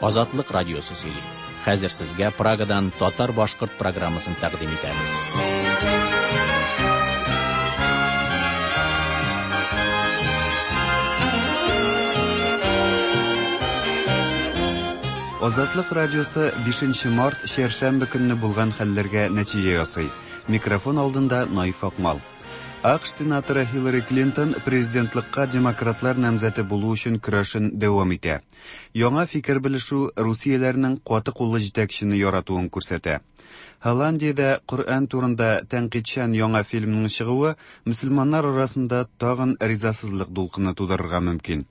Азатлык радиосы сөйли. Хәзер сезгә Прагадан татар-башкорт программасын тәкъдим итәбез. Азатлык радиосы 5 март чәршәмбе көнне булган хәлләргә нәтиҗә ясый. Микрофон алдында Наиф Акмал. АКШ сенаторы Хиллари Клинтон президентлыкка демократлар намзәте булу өчен көрәшен дәвам итә. Яңа фикер белешү русияләрнең каты куллы җитәкчене яратуын күрсәтә. Голландиядә Коръән турында тәнкыйтьчән яңа фильмның чыгуы мөселманнар арасында тагын ризасызлык дулкыны тудырырга мөмкин.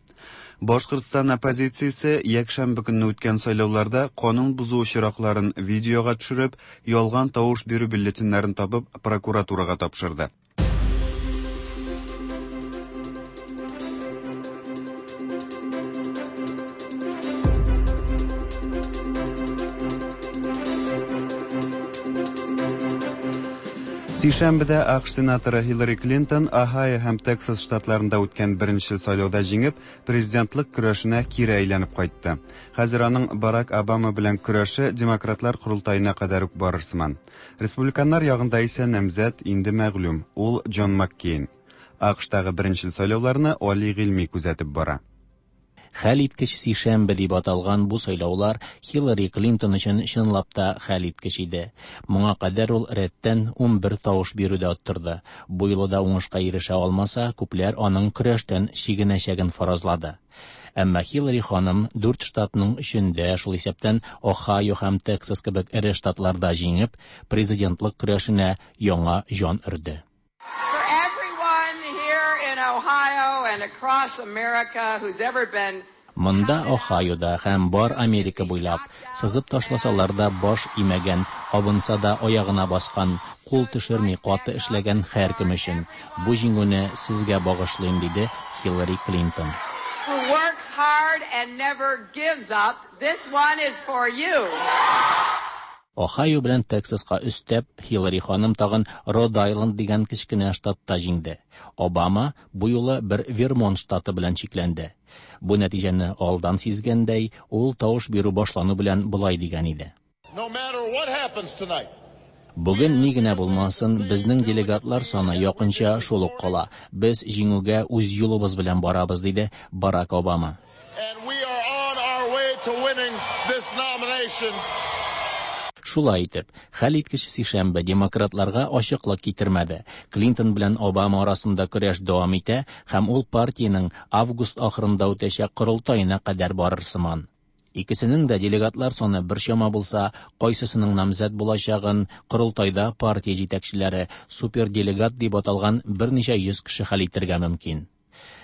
Башкортстан оппозициясе якшәмбе көнне үткән сайлауларда канун бозу очракларын видеога төшереп, ялган тавыш бирү бюллетеньнәрен табып прокуратурага тапшырды. Сишәмбедә АКШ сенаторы Хиллари Клинтон Ohio һәм Тексас штатларында үткән беренче сайлауда җиңеп, президентлык көрәшенә кире әйләнеп кайтты. Хәзер аның Барак Обама белән көрәше демократлар корылтаена кадәр үк барыр сыман. Республиканнар ягында исә намзәт инде мәгълүм, ул Джон Маккейн. АКШтагы беренче сайлауларны Али Гыйльми күзәтеп бара. Хәлиткеч сишәмбе дип аталган бу сайлаулар Хиллари Клинтон өчен чынлап та хәлиткеч иде. Моңа кадәр ул рәттән 11 тавыш бирүдә оттырды. Бу юлы да уңышка ирешә алмаса, күпләр аның көрәштән чигенәчәген фаразлады. Әмма Хиллари ханым дүрт штатның өчендә, шул исәптән Ohio һәм Тексас кебек эре штатларда җиңеп, президентлык көрәшенә яңа җан өрде. For everyone here in Ohio and across America who's ever been Монда Ohioда һәм бар Америка буйлап сызып ташласалар да баш имәгән, абынса да аягына баскан, кул төшерми каты эшләгән һәркем өчен бу җиңүне сезгә багышлыйм, диде Хиллари Клинтон. who works hard and never gives up, this one is for you. Ohio белән Тексаска өстәп, Хиллари ханым тагын Род Айленд дигән кечкенә штатта җиңде. Обама бу юлы бер Вермонт штаты белән чикләнде. Бу нәтиҗәне алдан сизгәндәй, ул тавыш бирү башлану белән болай дигән иде. No matter what happens tonight, Бүген ни генә булмасын, безнең делегатлар саны якынча шул ук кала. Без җиңүгә үз юлыбыз белән барабыз, диде Барак Обама. and we are on our way to winning this nomination. Шулай итеп, хәлиткеч сишәмбе демократларга ачыклык китермәде. Клинтон белән Обама арасында көрәш дәвам итә һәм ул партиянең август ахырында үтәчәк корылтаена кадәр барыр сыман. Икесенең дә делегатлар саны бер чама булса, кайсысының намзәт булачагын корылтайда партия җитәкчеләре суперделегат дип аталган берничә йөз кеше хәл итәргә мөмкин.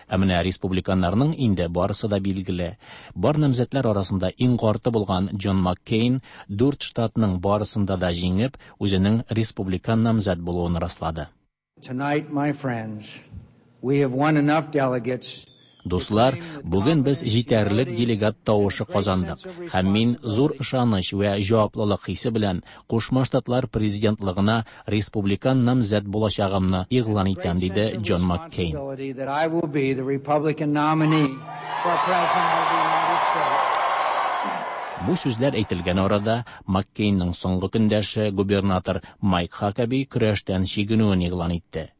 Ә менә республиканнарның инде барысы да билгеле. Бар намзәтләр арасында иң карты булган Джон Маккейн дүрт штатның барысында да җиңеп, үзенең республикан намзәт булуын раслады. Tonight, my friends, we have won enough delegates Дуслар, бүген без җитәрлек делегат тавышы казандык һәм мин зур ышаныч вә җаваплылык хисе белән Кушма Штатлар президентлыгына республикан намзәт булачагымны игълан итәм, диде Джон Маккейн. responsibility that I will be the Republican nominee for President of the United States. Бу сүзләр әйтелгән арада Маккейнның соңгы көндәше губернатор Майк Хакаби көрәштән чигенүен игълан итте.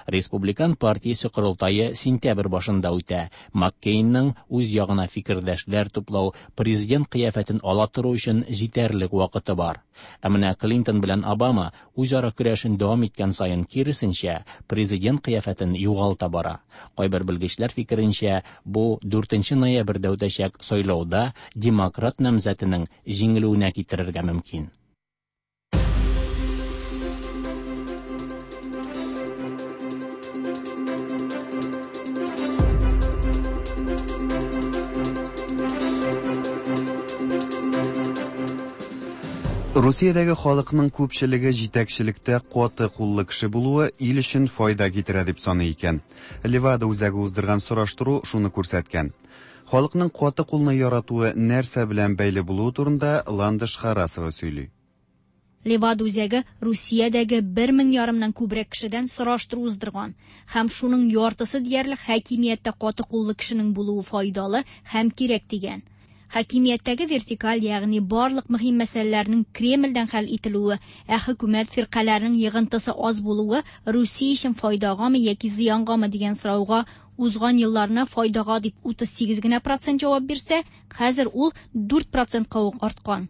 Республикан партиясе корылтае сентябрь башында үтә. Маккейнның үз ягына фикердәшләр туплау, президент кыяфәтен ала тору өчен җитәрлек вакыты бар. Ә менә Клинтон белән Обама үзара көрәшен дәвам иткән саен киресенчә, президент кыяфәтен югалта бара. Кайбер белгечләр фикеренчә, бу 4 ноябрьдә үтәчәк сайлауда демократ намзәтенең җиңелүенә китерергә мөмкин. Русиядәге халыкның күпчелеге җитәкчелектә каты куллы кеше булуы ил өчен файда китерә дип саный икән. Левада үзәге уздырган сораштыру шуны күрсәткән. Халыкның каты кулны яратуы нәрсә белән бәйле булуы турында Ландыш Харасова сөйли. Левада үзәге Русиядәге 1500-нан күбрәк кешедән сораштыру уздырган һәм шуның яртысы диярлек хакимияттә каты куллы кешенең булуы файдалы һәм кирәк дигән. Хакимияттәге вертикаль, ягъни барлык мөһим мәсьәләләрнең Кремльдән хәл ителүе, ә хөкүмәт фиркаләренең йыгынтысы аз булуы Русия өчен файдагамы яки зыянгамы дигән сорауга узган елларны файдага дип 38 генә процент җавап бирсә, хәзер ул 4 процентка ук арткан.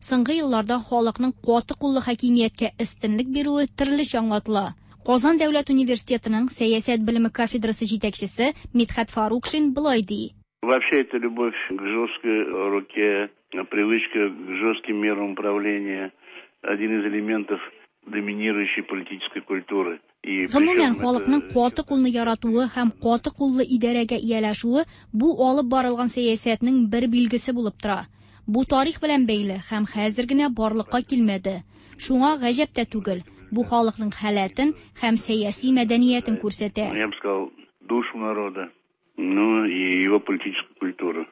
Соңгы елларда халыкның каты куллы хакимияткә өстенлек бирүе төрлечә аңлатыла. Казан дәүләт университетының сәясәт белеме кафедрасы җитәкчесе Мидхәт Фарукшин болай ди. Вообще это любовь к жесткой руке, привычка к жестким мерам управления, один из элементов доминирующей политической культуры. И Гомумән, причем халыкның это каты кулны яратуы һәм каты куллы идарәгә ияләшүе бу алып барылган сәясәтнең бер билгесе булып тора. Бу тарих белән бәйле һәм хәзер генә барлыкка килмәде. Шуңа гаҗәп тә түгел. Бу халыкның халәтен һәм сәяси мәдәниятен күрсәтә. Я бы сказал, душу народа, ну и его политическую культуру.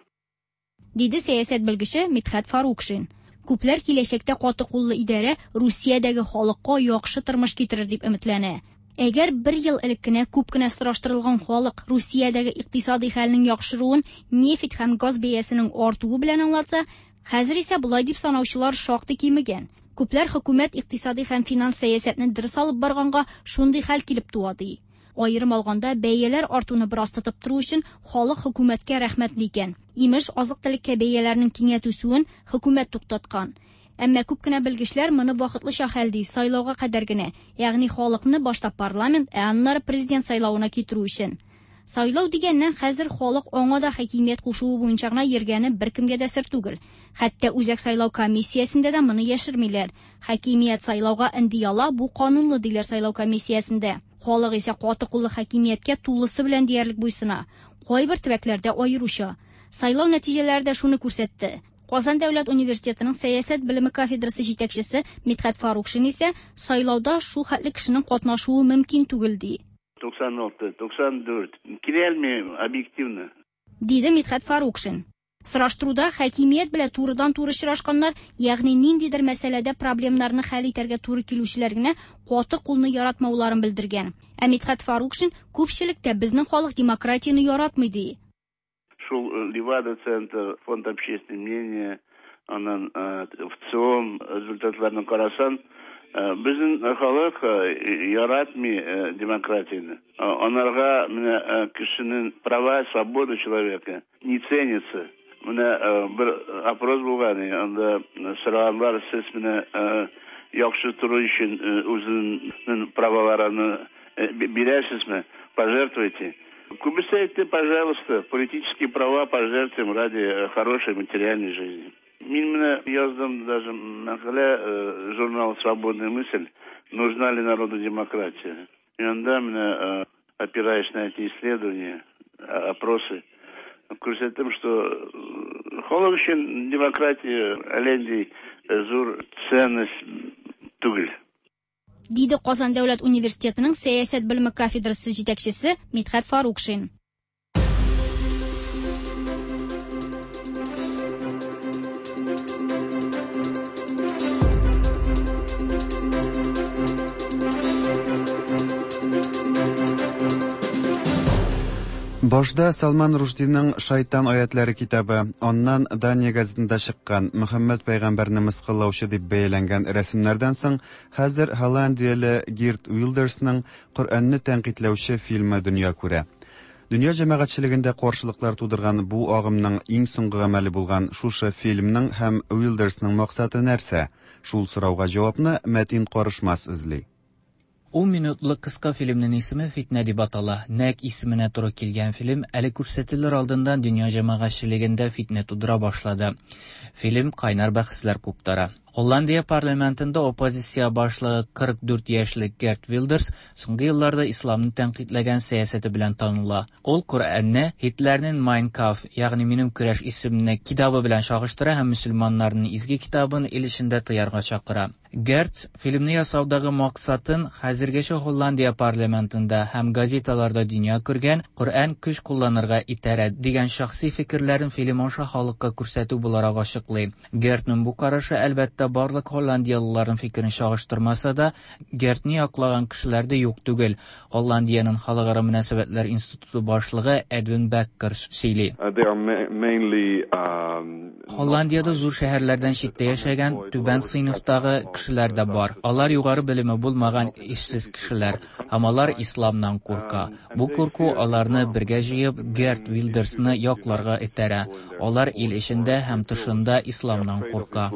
Диде сәясәт белгече Мидхәт Фарукшин. Күпләр киләчәктә каты куллы идарә Русиядәге халыкка яхшы тормыш китерер дип өметләнә. Әгәр бер ел элек кенә күп кенә сораштырылган халык Русиядәге икътисади хәлнең яхшыруын нефть һәм газ бәясенең артуы белән аңлатса, хәзер исә болай дип санаучылар шактый кимегән. Күпләр хөкүмәт икътисади һәм финанс сәясәтне дөрес алып барганга шундый хәл килеп туа ди. Аерым алганда бәяләр артуны бераз тотып тору өчен халык хөкүмәткә рәхмәтле икән. Имеш, азык-төлеккә бәяләрнең кинәт үсүен хөкүмәт туктаткан. Әмма күп кенә белгечләр моны вакытлыча хәл ди, сайлауга кадәр генә, ягъни халыкны башта парламент, ә аннары президент сайлавына китерү өчен. Сайлау дигәннән хәзер халык аңа да хакимият кушуы буенча гына йөргәне беркемгә дә сер түгел. Хәтта Үзәк сайлау комиссиясендә дә моны яшермиләр. Хакимият сайлауга инди ала, бу канунлы диләр сайлау комиссиясендә. Халык исә каты куллы хакимияткә тулысы белән диярлек буйсына. Кайбер төбәкләрдә аеруча. Сайлау нәтиҗәләре дә шуны күрсәтте. Казан дәүләт университетының сәясәт белеме кафедрасы җитәкчесе Мидхәт Фарукшин исә сайлауда шул хәтле кешенең катнашуы мөмкин түгел ди. 96, 94. Киләлми объективно. Диде Мидхәт Фарукшин. Сораштыруда хакимият белән турыдан-туры очрашканнар, ягъни ниндидер мәсьәләдә проблемнарны хәл итәргә туры килүчеләр генә каты кулны яратмауларын белдергән. Ә Мидхәт Фарукшин күпчелектә безнең халык демократияне яратмый ди. Шул Левада-центр, фонд общественного мнения, аннан ВЦИОМ результатларын карасан, безнең халык яратмый демократияне. Анарга менә кешенең права, свобода человека не ценится. Менә бер опрос булган, анда сораганнар, сез менә яхшы тору өчен үзенең праваларын бирәсезме, пожертвуйте. Күбесе әйтте, пожалуйста, политические права пожертвуем ради хорошей материальной жизни. Мин менә яздым даже мәкалә, журнал «Свободная мысль», нужна ли народу демократия. И анда менә, опираясь на эти исследования, опросы, күрсәттем, что халык өчен демократия әллә зур ценность түгел. Диде Казан дәүләт университетының сәясәт белеме кафедрасы җитәкчесе Мидхәт Фарукшин. Башда Салман Рушдиның Шайтан аятлары китабы, аннан Дания газетында чыккан Мөхәммәд пәйгамбәрне мыскыллаучы дип бәяләнгән рәсемнәрдән соң, хәзер Голландияле Гирт Уилдерсның Коръәнне тәнкыйтьләүче фильмы дөнья күрә. Дөнья җәмәгатьчелегендә каршылыклар тудырган бу агымның иң соңгы гамәле булган шушы фильмның һәм Уилдерсның максаты нәрсә? Шул сорауга җавапны Мәтин Карышмас эзли. 10 минутлык кыска фильмнең исеме Фитнә дип атала. Нәк исеменә туры килгән фильм әле күрсәтелер алдыннан дөнья җәмәгатьчелегендә фитнә тудыра башлады. Фильм кайнар бәхәсләр куптара. Голландия парламентында оппозиция башлыгы 44 яшьлек Герт Вилдерс соңгы елларда исламны тәнкыйтьләгән сәясәте белән таныла. Ул Коръәнне Һитлернең Mein Kampf, ягъни Минем көрәш исемле китабы белән чагыштыра һәм мөселманнарның изге китабын ил эчендә тыярга чакыра. Герт фильмны ясаудагы максатын хәзергәчә Голландия парламентында һәм газеталарда дөнья күргән Коръән көч кулланырга итәрә дигән шәхси фикерләрен фильм аша халыкка күрсәтү буларак ачыклый. Гертның бу карашы әлбәттә әлбәттә, барлык һолландиялыларның фикерен чагыштырмаса да, Гертны яклаган кешеләр дә юк түгел. Һолландиянең Халыкара мөнәсәбәтләр институты башлыгы Эдвин Беккер сөйли. Һолландиядә зур шәһәрләрдән читтә яшәгән түбән сыйныфтагы кешеләр дә бар. Алар югары белеме булмаган эшсез кешеләр һәм алар исламнан курка. Бу курку аларны бергә җыеп Герт Вилдерсны якларга этәрә. Алар ил эчендә һәм тышында исламнан курка.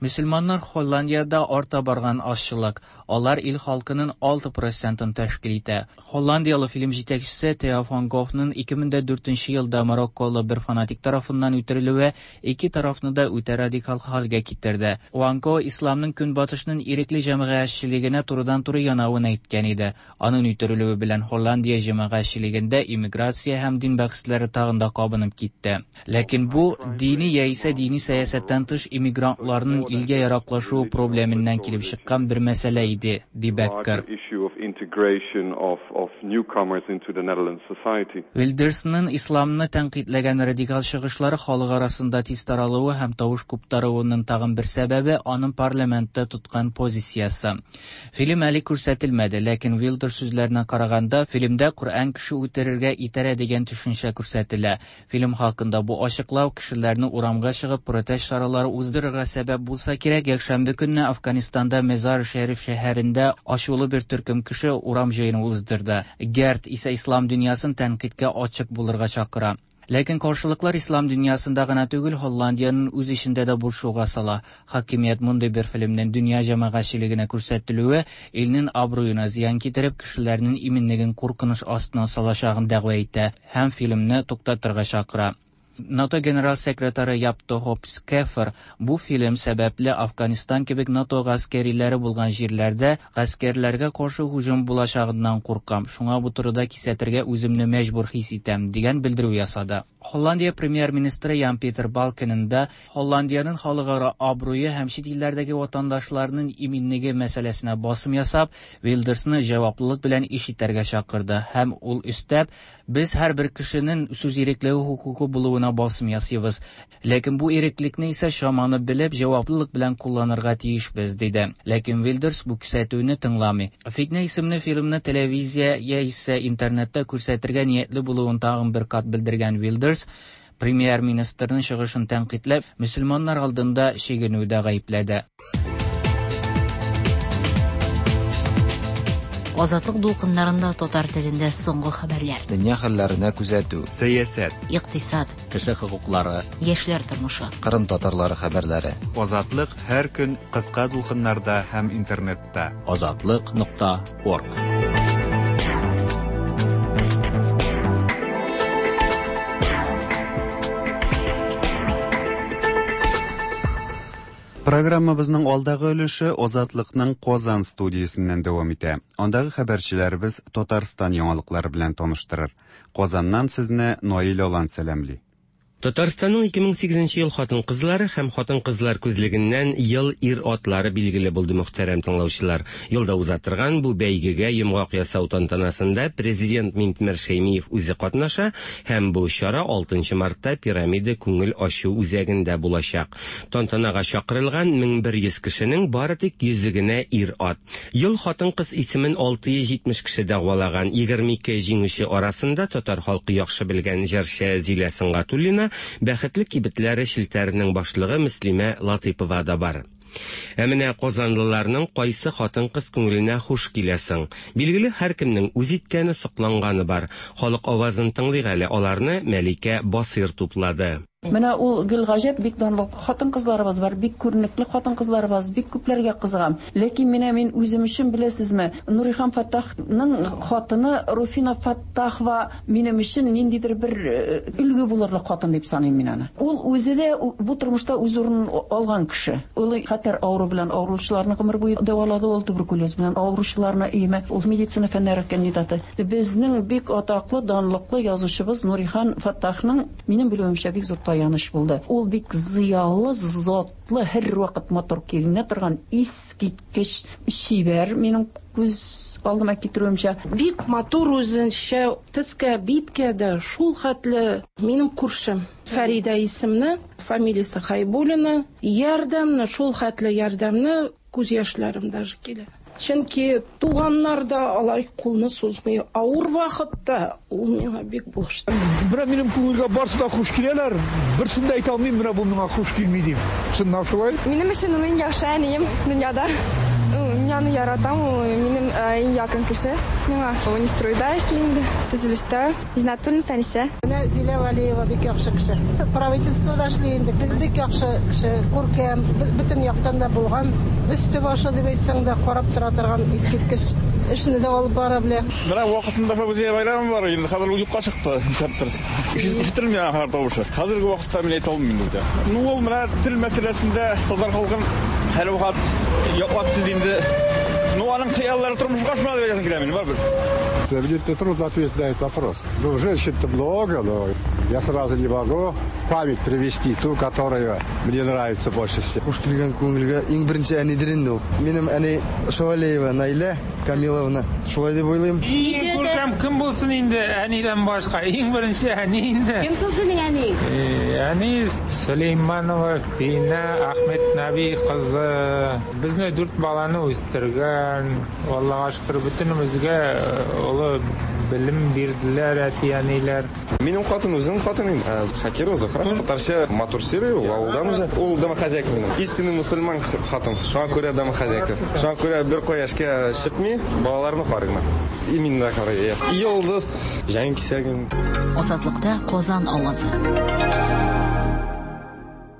Мөселманнар Һолландиядә арта барган азчылык. Алар ил халкының 6 процентын тәшкил итә. Һолландияле фильм җитәкчесе Тео ван Гофның 2004 елда марокколы бер фанатик тарафыннан үтерелүе ике тарафны да үтә радикал хәлгә китерде. Ван Го исламның көнбатышның ирекле җәмәгатьчелегенә турыдан-туры янавын әйткән иде. Аның үтерелүе белән Һолландия җәмәгатьчелегендә иммиграция һәм дин бәхәсләре тагын да кабынып китте. Ләкин бу дини яисә дини сәясәттән тыш иммигрантларның илгә яраклашуы проблеменнән килеп чыккан бер мәсьәлә иде, ди Беккер. Вилдерсның исламны тәнкыйтьләгән радикал чыгышлары халык арасында тиз таралуы һәм тавыш куптаруының тагын бер сәбәбе аның парламентта тоткан позициясе. Фильм әле күрсәтелмәде, ләкин Вилдерс сүзләренә караганда, фильмда Коръән кеше үтерергә итәрә дигән төшенчә күрсәтелә. Фильм хакында бу ачыклау кешеләрне урамга чыгып протест чаралары уздырырга сәбәп булса кирәк. Якшәмбе көнне Афганистанда Мезар-Шәриф шәһәрендә ачулы бер төркем кеше урам җыены уздырды. Герт исә ислам дөньясын тәнкыйтькә ачык булырга чакыра. Ләкин каршылыклар ислам дөньясында гына түгел, Һолландиянең үз эчендә дә борчуга сала. Хакимият мондый бер фильмнең дөнья җәмәгатьчелегенә күрсәтелүе илнең абруена зыян китереп, кешеләрнең иминлеген куркыныч астына салачагын дәгъва итә һәм фильмны туктатырга чакыра. НАТО генерал секретаре Яп де Хоп Шефер бу фильм сәбәпле Афганистан кебек НАТО гаскәриләре булган җирләрдә гаскәрләргә каршы һөҗүм булачагыннан куркам. Шуңа бу турыда кисәтергә үземне мәҗбүр хис итәм, дигән белдерү ясады. Һолландия премьер-министры Ян Питер Балкененда Һолландиянең халыкара абруе һәм чит илләрдәге ватандашларының иминлеге мәсьәләсенә басым ясап, Вилдерсны җаваплылык белән эш итәргә чакырды һәм ул өстәп, без һәрбер кешенең сүз иреклеге хокукы булуына басым ясыйбыз. Ләкин бу иреклекне исә чаманы белеп, җаваплылык белән кулланырга тиешбез, диде. Ләкин Вилдерс бу кисәтүне тыңламый. Фитнә исемле фильмны телевизия яисә интернетта күрсәтергә ниятле булуын тагын бер кат белдергән Вилдерс, премьер-министрның чыгышын тәнкыйтьләп, мөселманнар алдында чигенүдә гаепләде. Азатлык дулкыннарында татар телендә соңгы хәбәрләр. Дөнья хәлләренә күзәтү. Сәясәт. Икътисад. Кеше хокуклары. Яшьләр тормышы. Кырым татарлары хәбәрләре. Азатлык һәр көн кыска дулкыннарда һәм интернетта. Азатлык.орг. Программабызның алдагы өлеше Азатлыкның Казан студиясеннән дәвам итә. Андагы хәбәрчеләребез Татарстан яңалыклары белән таныштырыр. Казаннан сезне Наил Алан сәламли. Татарстанның 2008 ел хатын-кызлары һәм хатын-кызлар күзлегеннән ел ир-атлары билгеле булды, мөхтәрәм тыңлаучылар. Елда уза торган бу бәйгегә йомгак ясау тантанасында президент Минтимер Шәймиев үзе катнаша һәм бу чара 6 мартта Пирамида күңел ачу үзәгендә булачак. Тантанага чакырылган 1100 кешенең бары тик 100 генә ир-ат. Ел хатын-кыз исемен 670 кеше дәгъвалаган. 22 җиңүче арасында татар халкы яхшы белгән җырчы Зилә Сөнгатуллина, Бәхетле кибетләре челтәренең башлыгы Мөслимә Латыйпова да бар. Ә менә казанлыларның кайсы хатын-кыз күңеленә хуш килә соң? Билгеле, һәркемнең үз иткәне, сокланганы бар. Халык авазын тыңлыйк әле, аларны Мәликә Басыйр туплады. Менә ул гел гаҗәп, бик данлыклы хатын-кызларыбыз бар, бик күренекле хатын-кызларыбыз, бик күпләргә кызыгам. Ләкин менә мин үзем өчен, беләсезме, Нурихан Фәттахның хатыны Руфина Фәттахова минем өчен ниндидер бер өлге булырлык хатын дип саныйм мин аны. Ул үзе дә бу тормышта үз урынын алган кеше. Ул хәтәр авыру белән авыручыларны гомер буе дәвалады, ул туберкулез белән авыручыларны өеме, ул медицина фәннәре кандидаты. Безнең бик атаклы, данлыклы язучыбыз Нурихан Фәттахның, минем белүемчә, бик зур таяныч булды. Ул бик зыялы, затлы, һәрвакыт матур киенә торган, искиткеч чибәр, минем күз алдыма китерүемчә. Бик матур үзенчә, төскә, биткә дә шул хәтле минем күршем Фәридә исемле. Фамилиясе Хайбуллина. Ярдәмне, шул хәтле ярдәмне, күз яшьләрем даже килә. Чөнки туганнар да алай кулны сузмый. Авыр вакытта ул миңа бик булышты. Менә минем күңелгә барсы да хуш киләләр. Берсен дә әйтә алмыйм, менә бу миңа хуш килми дип. Чыннан шулай. Минем өчен ул иң яхшы әнием дөньяда. Мин аны яратам, ул минем иң якын кеше миңа. Унистройда эшли инде, төзелештә. Зиннәтуллин Фәнисә. Менә Зилә Вәлиева бик яхшы кеше. Правительствода эшли инде. Бик яхшы кеше, күркәм, бөтен яктан да булган. Өсте башы дип әйтсәң дә, карап тора торган искиткеч эшне дә алып бара белә. Менә вакытында Фәүзия Байрамова бар, инде хәзер ул юкка чыкты, нишләптер. Ишетелми аның хәзер тавышы. Хәзерге вакытта мин әйтә алмыйм инде бүтән. Ну, ул менә тел мәсьәләсендә татар халкын һәрвакыт яклап килде инде. Ну, аның хыяллары тормышка ашмады дип әйтәсем килә минем, барыбер. Мне трудно ответить на этот вопрос. Ну, женщин-то много, но я сразу не могу в память привести ту, которая мне нравится больше всех. Хуш килгән күңелгә иң беренче әнидер инде ул. Минем әни Шавалиева Наилә Камиловна. Шулай дип уйлыйм. Иң күркәм кем булсын инде әнидән башка? Иң беренче әни инде. Кем соң синең әниең? Әни Сөләйманова Фина Ахметнаби кызы. Безне дүрт баланы үстергән. Аллага шөкер, бөтенебезгә олы белем бирделәр әти-әниләр. Минем хатын үзенең хатын инде. Шакирова Зухра. Татарча матур сөйли ул, авылдан үзе. Ул домохозяйка минем. Истинный мусульман хатын. Шуңа күрә домохозяйка. Шуңа күрә бер кая эшкә чыкмый, балаларны карый гына. И мине дә карый. Йолдыз, җан кисәгем. Азатлыкта Казан авазы.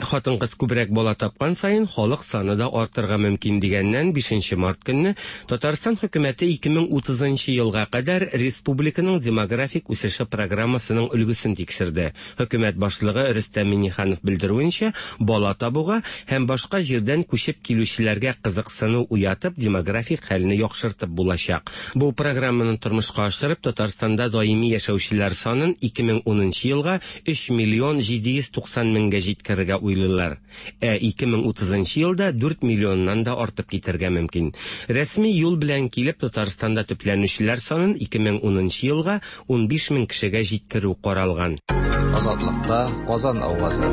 Хатын-кыз күбрәк бала тапкан саен халык саны да артырга мөмкин дигәннән 5 март көнне Татарстан хөкүмәте 2030 елга кадәр республиканың демографик үсеше программасының өлгесен тикшерде. Хөкүмәт башлыгы Рөстәм Миңнеханов белдерүенчә, бала табуга һәм башка җирдән күчеп килүчеләргә кызыксыну уятып, демографик хәлне яхшыртып булачак. Бу программаны тормышка ашырып, Татарстанда даими яшәүчеләр санын 2010 елга 3 миллион 790 меңгә җиткерергә уйлыйлар. Ә 2030 елда 4 миллионнан да артып китәргә мөмкин. Рәсми юл белән килеп Татарстанда төпләнүчеләр санын 2010 елга 15 мең кешегә җиткерү каралган. Азатлыкта Казан авазы.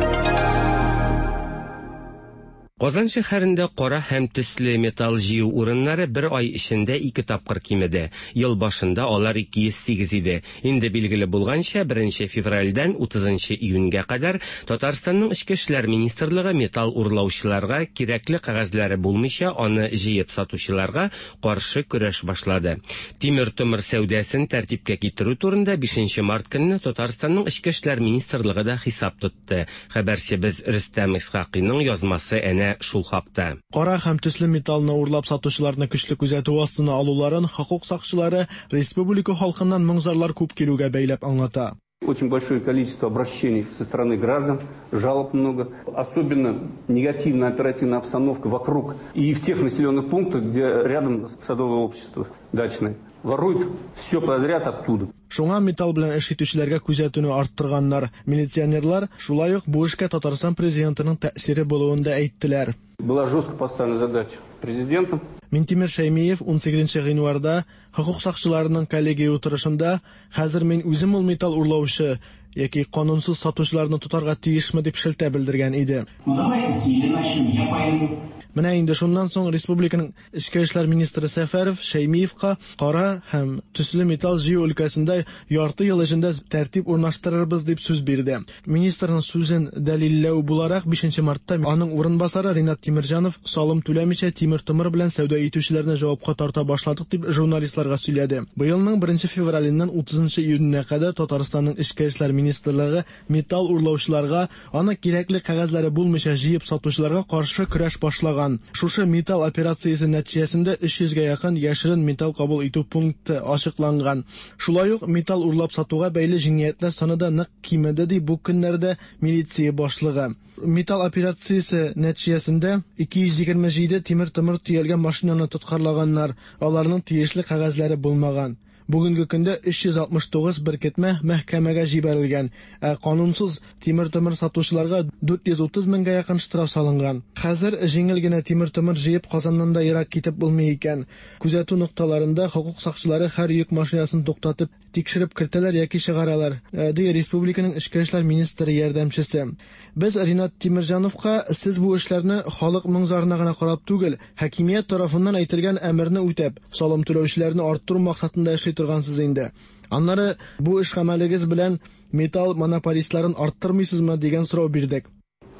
Казан шәһәрендә кара һәм төсле металл җыю урыннары бер ай эчендә 2 тапкыр кимеде. Ел башында алар 208 иде. Инде билгеле булганча, 1 февральдән 30 июньгә кадәр Татарстанның Эчке эшләр министрлыгы металл урлаучыларга кирәкле кәгазьләре булмыйча аны җыеп сатучыларга каршы көрәш башлады. Тимер-томыр сәүдәсен тәртипкә китерү турында 5 март көнне Татарстанның Эчке эшләр министрлыгы да хисап тотты. Хәбәрчебез Рөстәм Исхакыйның язмасы әнә шул хакта. Кара һәм төсле металлны урлап сатучыларны көчле күзәтү астына алуларын хокук сакчылары республика халкыннан моң-зарлар күп килүгә бәйләп аңлата. Очень большое количество обращений со стороны граждан, жалоб много. Особенно негативная оперативная обстановка вокруг и в тех населенных пунктах, где рядом садовое общество дачное. Воруют все подряд оттуда. Шуңа металл белән эш итүчеләргә күзәтүне арттырганнар. Милиционерлар шулай ук бу эшкә Татарстан президентының тәэсире булуын да әйттеләр. Была жестко поставлена задача президентом. Минтимер Шәймиев 18 гыйнварда хокук сакчыларының коллегия утырышында хәзер мин үзем ул металл урлаучы яки канунсыз сатучыларны тотарга тиешме дип шелтә белдергән иде. Ну давайте с меня начнем, я пойду. Менә инде шуннан соң республиканың Эчке эшләр министры Сәфәров Шәймиевка кара һәм төсле металл җыю өлкәсендә ярты ел эчендә тәртип урнаштырырбыз дип сүз бирде. Министрның сүзен дәлилләү буларак 5 мартта аның урынбасары Ринат Тимирҗанов салым түләмичә тимер-томыр белән сәүдә итүчеләрне җавапка тарта башладык дип журналистларга сөйләде. Быелның 1 февраленнән 30 июненә кадәр Татарстанның Эчке эшләр министрлыгы металл урлаучыларга, аны кирәкле кәгазьләре булмыйча җыеп сатучыларга каршы көрәш башлаган. Шушы металл операциясе нәтиҗәсендә 300гә якын яшерен металл кабул итү пункты ачыкланган. Шулай ук металл урлап сатуга бәйле җинаятьләр саны да нык кимеде ди бу көннәрдә милиция башлыгы. Металл операциясе нәтиҗәсендә 227 тимер-томыр төялгән машинаны тоткарлаганнар. Аларның тиешле кәгазьләре булмаган. Бүгенге көндә 369 беркетмә мәхкәмәгә җибәрелгән, ә канунсыз тимер-томыр сатучыларга 430 меңгә якын штраф салынган. Хәзер җиңел генә тимер-томыр җыеп Казаннан да ерак китеп булмый икән. Күзәтү нокталарында хокук сакчылары һәр йөк машинасын туктатып, тикшереп кертәләр яки чыгаралар, э, ди республиканың эчке эшләр министры ярдәмчесе. Без Ринат Тимерҗановка сез бу эшләрне халык моң-зарына гына карап түгел, хакимият тарафыннан әйтелгән әмерне үтәп, салым түләүчеләрне арттыру максатында эшли торгансыз инде. Аннары бу эш гамәлегез белән металл монополистларын арттырмыйсызмы дигән сорау бирдек.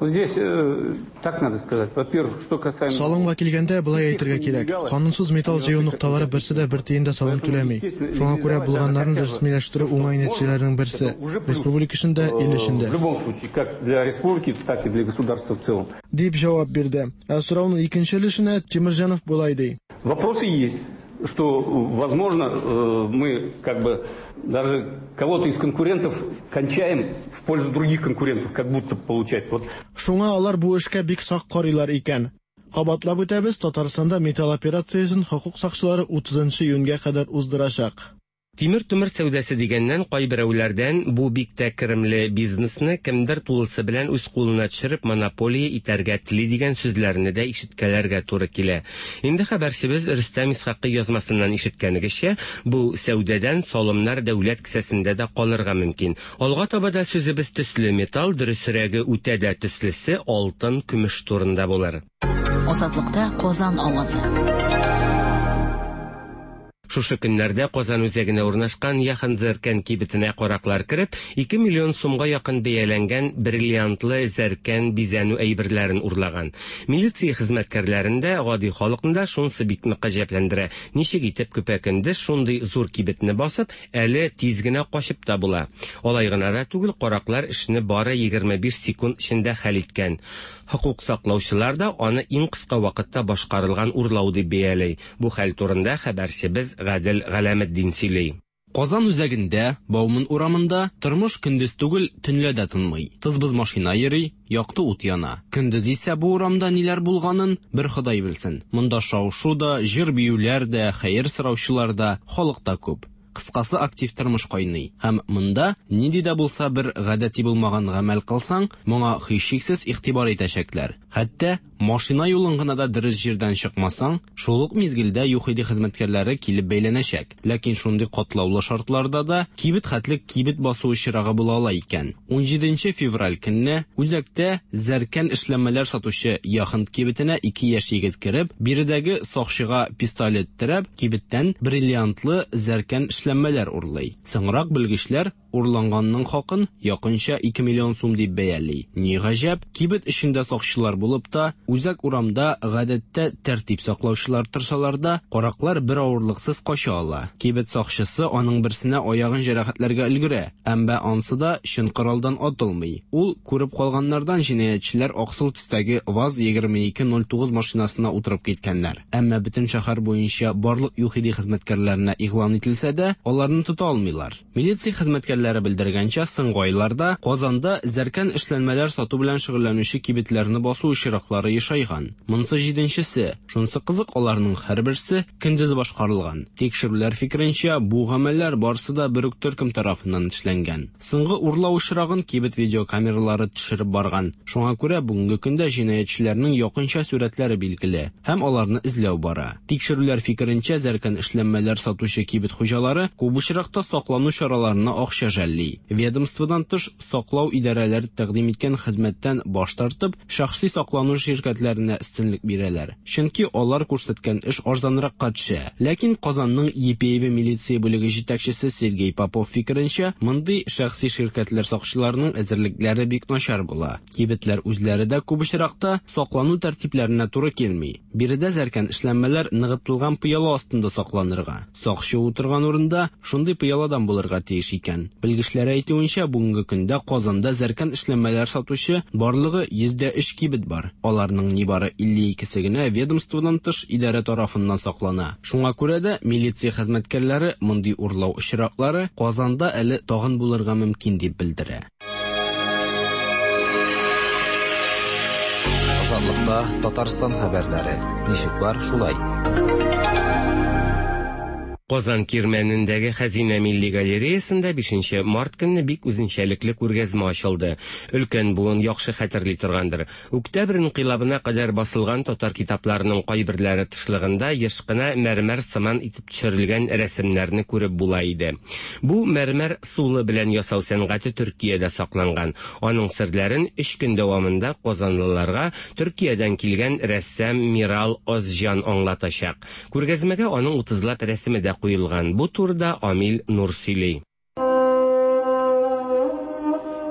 Здесь э, так надо сказать. Во-первых, что касаемо... Салымга килгәндә, болай әйтергә кирәк. Канунсыз металл җыю нокталары берсе дә бер тиен дә салым түләми. Шуңа күрә булганнарын рәсмиләштерү уңай нәтиҗәләрнең берсе. Республика өчен дә, ил өчен дә. В любом случае, как для республики, так и для государства в целом. Дип җавап бирде. Ә сорауның икенче өлешенә Тимерҗанов болай ди. Вопросы есть что, возможно, э, мы как бы даже кого-то из конкурентов кончаем в пользу других конкурентов, как будто получается. Вот. Шуңа алар бу эшкә бик сак карыйлар икән. Кабатлап үтәбез, Татарстанда металл операциясен хокук сакчылары 30 июньгә кадәр уздырачак. Тимер-томыр сәүдәсе дигәннән, кайберәүләрдән бу бик тә керемле бизнесны кемдер тулысы белән үз кулына төшереп монополия итәргә тели дигән сүзләрне дә ишеткәләргә туры килә. Инде хәбәрчебез Рөстәм Исхакый язмасыннан ишеткәнегезчә, бу сәүдәдән салымнар дәүләт кесәсендә дә калырга мөмкин. Алга таба да сүзебез төсле металл, дөресрәге үтә дә төслесе алтын, көмеш турында булыр. Азатлыкта Казан авазы. Шушы көннәрдә Казан үзәгенә урнашкан Яхан Зәркән кибетенә караклар кереп, 2 миллион сумга якын бәяләнгән бриллиантлы зәркән бизәнү әйберләрен урлаган. Милиция хезмәткәрләрен дә, гади халыкны да шунысы бик нык гаҗәпләндерә. Ничек итеп көпә-көндез шундый зур кибетне басып, әле тиз генә качып та була. Алай гына да түгел, караклар эшне бары 25 секунд эчендә хәл иткән. Хокук саклаучылар да аны иң кыска вакытта башкарылган урлау дип бәяли. Бу хәл турында хәбәрчебез Гадел Галәметдин сөйли. Казан үзәгендә, Бауман урамында тормыш көндез түгел, төнлә дә тынмый. Тыз-быз машина йөри, якты ут яна. Көндез исә бу урамда ниләр булганын бер Ходай белсен. Монда шау-шу да, җыр-биюләр дә, хәер сораучылар да, халык та күп. Кыскасы, актив тормыш кайный. Һәм монда нинди дә булса бер гадәти булмаган гамәл кылсаң, моңа һичшиксез игътибар итәчәкләр. Хәтта машина юлын гына да дөрес җирдән чыкмасаң, шул ук мизгелдә ЮХИДИ хезмәткәрләре килеп бәйләнәчәк. Ләкин шундый катлаулы шартларда да кибет хәтле кибет басу очрагы була ала икән. 17 февраль көнне үзәктә зәркән эшләнмәләр сатучы Яхонт кибетенә ике яшь егет кереп, биредәге сакчыга пистолет терәп, кибеттән бриллиантлы зәркән эшләнмәләр урлый. Соңрак белгечләр урланганның хакын якынча 2 миллион сум дип бәяли. Ни гаҗәп, кибет эчендә сакчылар булып та, үзәк урамда гадәттә тәртип саклаучылар торсалар да, караклар бер авырлыксыз кача ала. Кибет сакчысы аның берсенә аягын җәрәхәтләргә өлгерә, әмма ансы да чын коралдан атылмый. Ул күреп калганнардан җинаятьчеләр аксыл төстәге ВАЗ 2209 машинасына утырып киткәннәр. Әмма бөтен шәһәр буенча барлык ЮХИДИ хезмәткәрләренә игълан ителсә дә, аларны тота алмыйлар. Милиция хезмәткәрләре белдергәнчә, соңгы айларда Казанда зәркән эшләнмәләр сату белән шөгыльләнүче кибетләрне басу очраклары ешайган. Монысы җиденчесе. Шунысы кызык, аларның һәрберсе көндез башкарылган. Тикшерүләр фикеренчә, бу гамәлләр барысы да бер үк төркем тарафыннан эшләнгән. Соңгы урлау очрагын кибет видеокамералары төшереп барган. Шуңа күрә бүгенге көндә җинаятьчеләрнең якынча сурәтләре билгеле һәм аларны эзләү бара. Тикшерүләр фикеренчә, зәркән эшләнмәләр сатучы кибет хуҗалары күп очракта саклану чараларына акча жәлли. Ведомстводан тыш саклау идарәләре тәкъдим иткән хезмәттән баш тартып, шәхси саклану ширкәтләренә өстенлек бирәләр. Чөнки алар күрсәткән эш арзанракка төшә. Ләкин Казанның Епеево милиция бүлеге җитәкчесе Сергей Попов фикеренчә, мондый шәхси ширкәтләр сакчыларының әзерлекләре бик начар була. Кибетләр үзләре дә күп очракта саклану тәртипләренә туры килми. Биредә зәркән эшләнмәләр ныгытылган пыяла астында сакланырга. Сакчы утырган урында шундый пыяладан булырга тиеш икән. Белгечләр әйтүенчә, бүгенге көндә Казанда зәркән эшләнмәләр сатучы барлыгы 103 кибет бар. Аларның нибары 52-се генә ведомстводан тыш идарә тарафыннан саклана. Шуңа күрә дә милиция хезмәткәрләре мондый урлау очраклары Казанда әле тагын булырга мөмкин дип белдерә. Азатлыкта Татарстан хәбәрләре. Ничек бар, шулай. Казан Кирмәнендәге Хәзинә милли галереясында 5 март көнне бик үзенчәлекле күргәзмә ачылды. Өлкән буын яхшы хәтерли торгандыр. Октябрь инкыйлабына кадәр басылган татар китапларының кайберләре тышлыгында еш кына мәрмәр сыман итеп төшерелгән рәсемнәрне күреп була иде. Бу мәрмәр ысулы белән ясау сәнгате Төркиядә сакланган. Аның серләрен өч көн дәвамында казанлыларга Төркиядән килгән рәссам Мирал Озҗан аңлатачак. Күргәзмәгә аның утызлап рәсеме дә куелган. Бу турыда Амил Нур сөйли.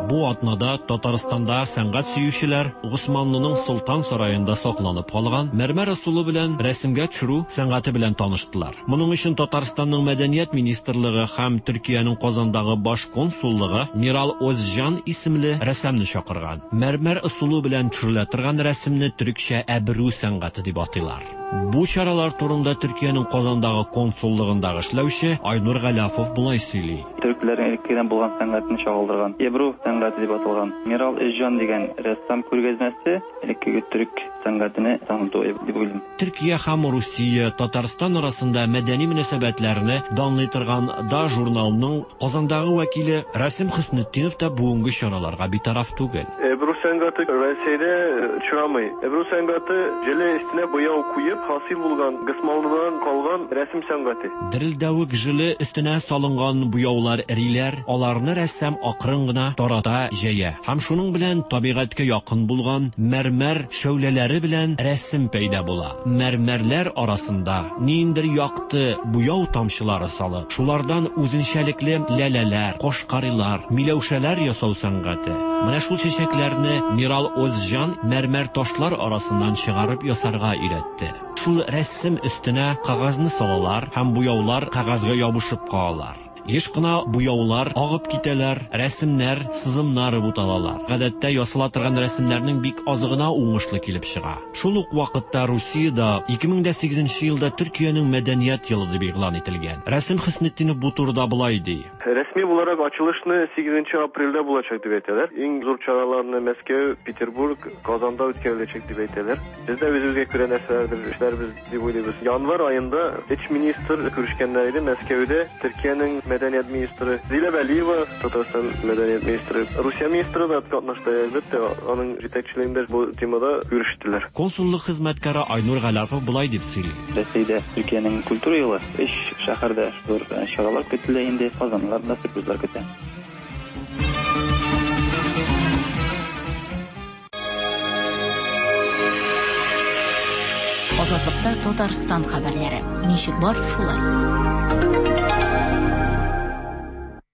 Бу атнада Татарстанда сәнгать сөючеләр Госманлының Солтан сараенда сакланып калган мәрмәр ысулы белән рәсемгә төшерү сәнгате белән таныштылар. Моның өчен Татарстанның Мәдәният министрлыгы һәм Төркиянең Казандагы баш консуллыгы Мирал Озҗан исемле рәссамны чакырган. Мәрмәр ысулы белән төшерелә торган рәсемне төрекчә әбру сәнгате дип атыйлар. Бу чаралар турында Төркиянең Казандагы консуллыгындагы эшләүче Айнур Галәфов болай сөйли. Төркләрнең элеккедән булган сәнгатен чагылдырган Эбру сәнгате дип аталган Мирал Эзҗан дигән рәссам күргәзмәсе элеккеге төрек сәнгатене таныту дип уйлыйм. Төркия һәм Русия, Татарстан арасында мәдәни мөнәсәбәтләрне данлый торган Да журналының Казандагы вәкиле Рәсим Хөснетдинов та бүгенге чараларга битараф түгел. Эбру сәнгате Рәсәйдә очрамый. Эбру сәнгате желе өстенә буяу куеп хасил булган Госманлыдан калган рәсем сәнгате. Дерелдәвек желе өстенә салынган буяулар эриләр, аларны рәссам акрын гына тарата, җәя. Һәм шуның белән табигатькә якын булган мәрмәр шәүләләре белән рәсем пәйда була. Мәрмәрләр арасында ниндидер якты буяу тамчылары салып, шулардан үзенчәлекле ләләләр, кошкарилар, миләүшәләр ясау сәнгате. Менә шул чәчәкләрне Мирал Озҗан мәрмәр ташлар арасыннан чыгарып ясарга өйрәтте. Шул рәсем өстенә кәгазьне салалар һәм буяулар кәгазьгә ябышып калалар. Еш кына буяулар агып китәләр, рәсемнәр, сызымнар буталалар. Гадәттә ясала торган рәсемнәрнең бик азы гына уңышлы килеп чыга. Шул ук вакытта Русиядә 2008 елда Төркиянең мәдәният елы дип игълан ителгән. Рәсим Хөснетдинов бу турыда болай ди. Рәсми буларак ачылышны 8 апрельдә булачак дип әйтәләр. Иң зур чараларны Мәскәү, Петербург, Казанда үткәреләчәк дип әйтәләр. Без дә үзебезгә күрә нәрсәләрдер эшләрбез дип уйлыйбыз. Январь аенда өч министр күрешкәннәр иде Мәскәүдә. Төркиянең мәдәният министры Зилә Вәлиева, Татарстан мәдәният министры, Русия министры да катнашты, әлбәттә, аның җитәкчелегендә бу темада күрештеләр. Консуллык хезмәткәре Айнур Галәпов болай дип сөйли. Рәсәйдә Төркиянең культура елы өч шәһәрдә зур чаралар көтелә инде, Казанлылар да сюрпризлар көтә. Азатлыкта Татарстан хәбәрләре. Ничек бар, шулай.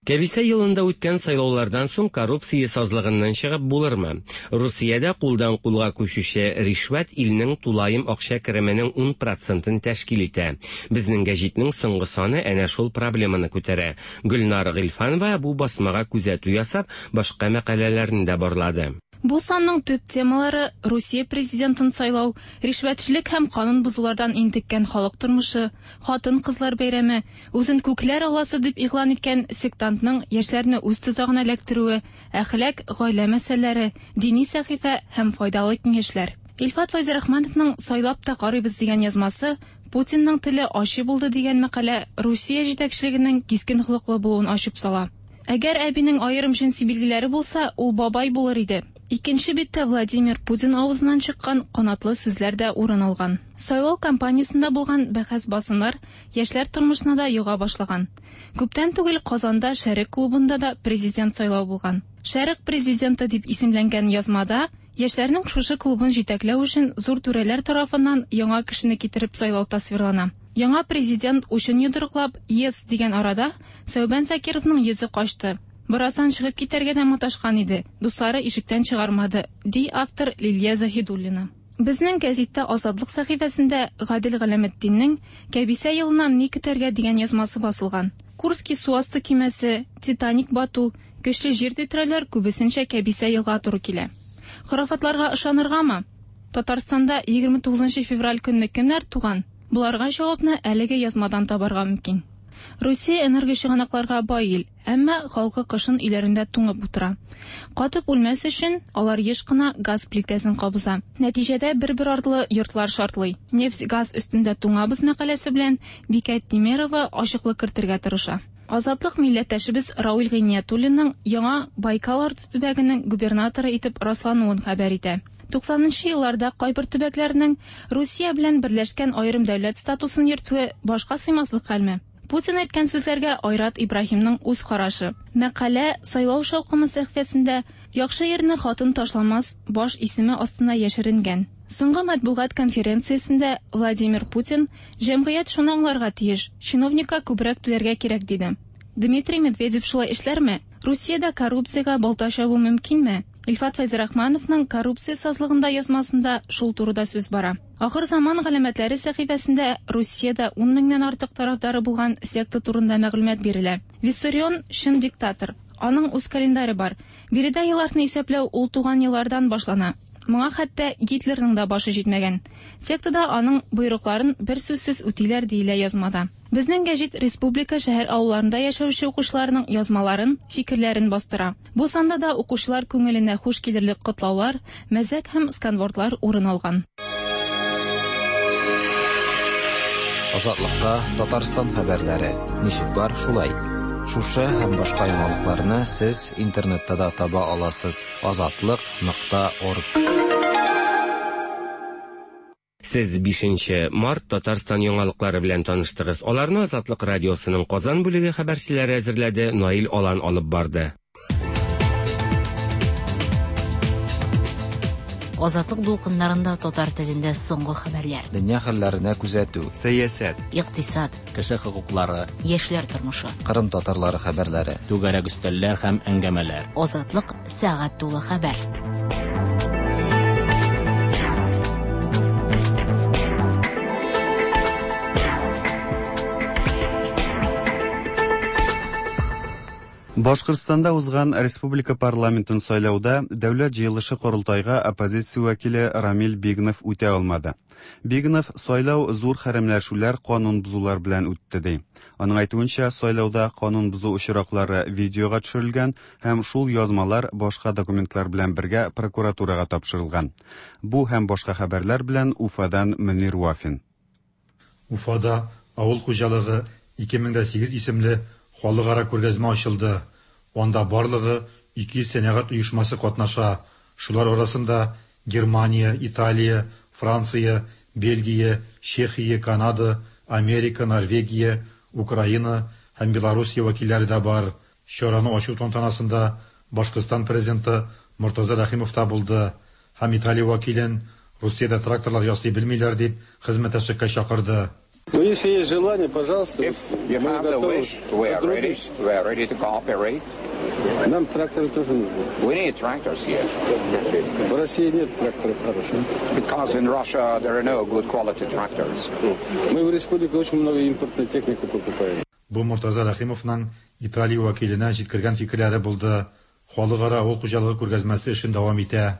Кәбисә елында үткән сайлаулардан соң коррупция сазлыгыннан чыгып булырмы? Русиядә кулдан кулга күчүче ришвәт илнең тулаем акча кеременең 10 процентын тәшкил итә. Безнең гәҗитнең соңгы саны әнә шул проблеманы күтәрә. Гөлнар Гыйльфанова бу басмага күзәтү ясап, башка мәкаләләрне дә барлады. Бу санның төп темалары Русия президентын сайлау, ришвәтчелек һәм канун бозулардан интеккән халык тормышы, хатын-кызлар бәйрәме, үзен күкләр алласы дип игълан иткән сектантның яшьләрне үз тозагына эләктерүе, әхлак, гаилә мәсьәләләре, дини сәхифә һәм файдалы киңәшләр. Илфат Фәйзрахмановның Сайлап та карыйбыз дигән язмасы Путинның теле ачы булды дигән мәкалә Русия җитәкчелегенең кискен холыклы булуын ачып сала. Әгәр әбинең аерым җенси билгеләре булса, ул бабай булыр иде. Икенче биттә Владимир Путин авызыннан чыккан канатлы сүзләр дә урын алган. Сайлау кампаниясендә булган бәхәс-басымнар яшьләр тормышына да йога башлаган. Күптән түгел Казанда Шәрык клубында да президент сайлау булган. Шәрык президенты дип исемләнгән язмада яшьләрнең шушы клубын җитәкләү өчен зур түрәләр тарафыннан яңа кешене китереп сайлау тасвирлана. Яңа президент учын йодрыклап, Yes дигән арада Сәүбән Закировның йөзе качты. Бераздан чыгып китәргә дә маташкан иде, дуслары ишектән чыгармады, ди автор Лилия Заһидуллина. Безнең гәзиттә Азатлык сәхифәсендә Гадел Галәметдиннең Кәбисә елыннан ни көтәргә дигән язмасы басылган. Курский су асты көймәсе, Титаник бату, көчле җир тетрәүләр күбесенчә кәбисә елга туры килә. Хорафатларга ышаныргамы? Татарстанда 29 февраль көнне кемнәр туган? Боларга җавапны әлеге язмадан табарга мөмкин. Русия энергочыганакларга бай ил, әмма халкы кышын өйләрендә туңып утыра. Катып үлмәс өчен алар еш кына газ плитәсен кабыза. Нәтиҗәдә бер-бер артлы йортлар шартлый. Нефть-газ өстендә туңабыз мәкаләсе белән Бикә Тимерова ачыклык кертергә тырыша. Азатлык милләттәшебез Рауил Гыйниятуллинның яңа Байкал арты төбәгенең губернаторы итеп раслануын хәбәр итә. 90 нчы елларда кайбер төбәкләрнең Русия белән берләшкән аерым дәүләт статусын йөртүе башка сыймаслык хәлме? Путин әйткән сүзләргә Айрат Ибраһимның үз карашы. Мәкалә Сайлау шаукымы сәхифәсендә Яхшы ирне хатын ташламас баш исеме астына яшеренгән. Соңгы матбугат конференциясендә Владимир Путин, Җәмгыять шуны аңларга тиеш, чиновникка күбрәк түләргә кирәк, диде. Дмитрий Медведев шулай эшләрме? Русиядә коррупциягә балта чабу мөмкинме? Илфат Фәйзрахмановның Коррупция сазлыгында язмасында шул турыда сүз бара. Ахыр заман галәмәтләре сәхифәсендә Русиядә ун меңнән артык тарафдары булган секта турында мәгълүмат бирелә. Виссарион, чын диктатор. Аның үз календаре бар. Биредә елларны исәпләү ул туган еллардан башлана. Моңа хәтта Гитлерның да башы җитмәгән. Сектада аның боерыкларын берсүзсез үтиләр, диелә язмада. Безнең гәҗит республика шәһәр-авылларында яшәүче укучыларның язмаларын, фикерләрен бастыра. Бу санда да укучылар күңеленә хуш килерлек котлаулар, мәзәк һәм сканвордлар урын алган. Азатлыкта Татарстан хәбәрләре. Ничек бар, шулай. Шушы һәм башка яңалыкларны сез интернетта да таба аласыз. Азатлык нокта орг. Сез бишенче март Татарстан яңалыклары белән таныштыгыз. Аларны Азатлык радиосының Казан бүлеге хәбәрчеләре әзерләде, Наил Алан алып барды. Азатлык дулкыннарында татар телендә соңгы хәбәрләр. Дөнья хәлләренә күзәтү. Сәясәт. Икътисад. Кеше хокуклары. Яшьләр тормышы. Кырым татарлары хәбәрләре. Түгәрәк өстәлләр һәм әңгәмәләр. Азатлык сәгать тулы хәбәр. Башкортстанда узган республика парламентын сайлауда Дәүләт җыелышы-Корылтайга оппозиция вәкиле Рамил Бигнов үтә алмады. Бигнов сайлау зур хәрәмләшүләр, канун бозулар белән үтте ди. Аның әйтүенчә, сайлауда канун бозу очраклары видеога төшерелгән һәм шул язмалар башка документлар белән бергә прокуратурага тапшырылган. Бу һәм башка хәбәрләр белән Уфадан Мөнир Вафин. Уфада Авыл хуҗалыгы 2008 исемле халыкара күргәзмә ачылды. Анда барлыгы 200 сәнәгать оешмасы катнаша. Шулар арасында Германия, Италия, Франция, Бельгия, Чехия, Канада, Америка, Норвегия, Украина һәм Белоруссия вәкилләре дә бар. Чараны ачу тантанасында Башкортстан Президенты Мортаза Рәхимов та булды һәм Италия вәкилен Русиядә тракторлар ясый белмиләр дип хезмәттәшлеккә чакырды. Ну, если есть желание, пожалуйста, If you мы have the готовы wish, we are ready. сотрудничать. We are ready to cooperate. Нам тракторы тоже нужны. We need tractors here. В России нет тракторов хороших. Because in Russia there are no good quality tractors. Мы в республике очень много импортной техники покупаем. Бу Мортаза Рәхимовның Италия вәкиленә җиткергән фикерләре булды. Халыкара авыл хуҗалыгы күргәзмәсе эшен дәвам итә.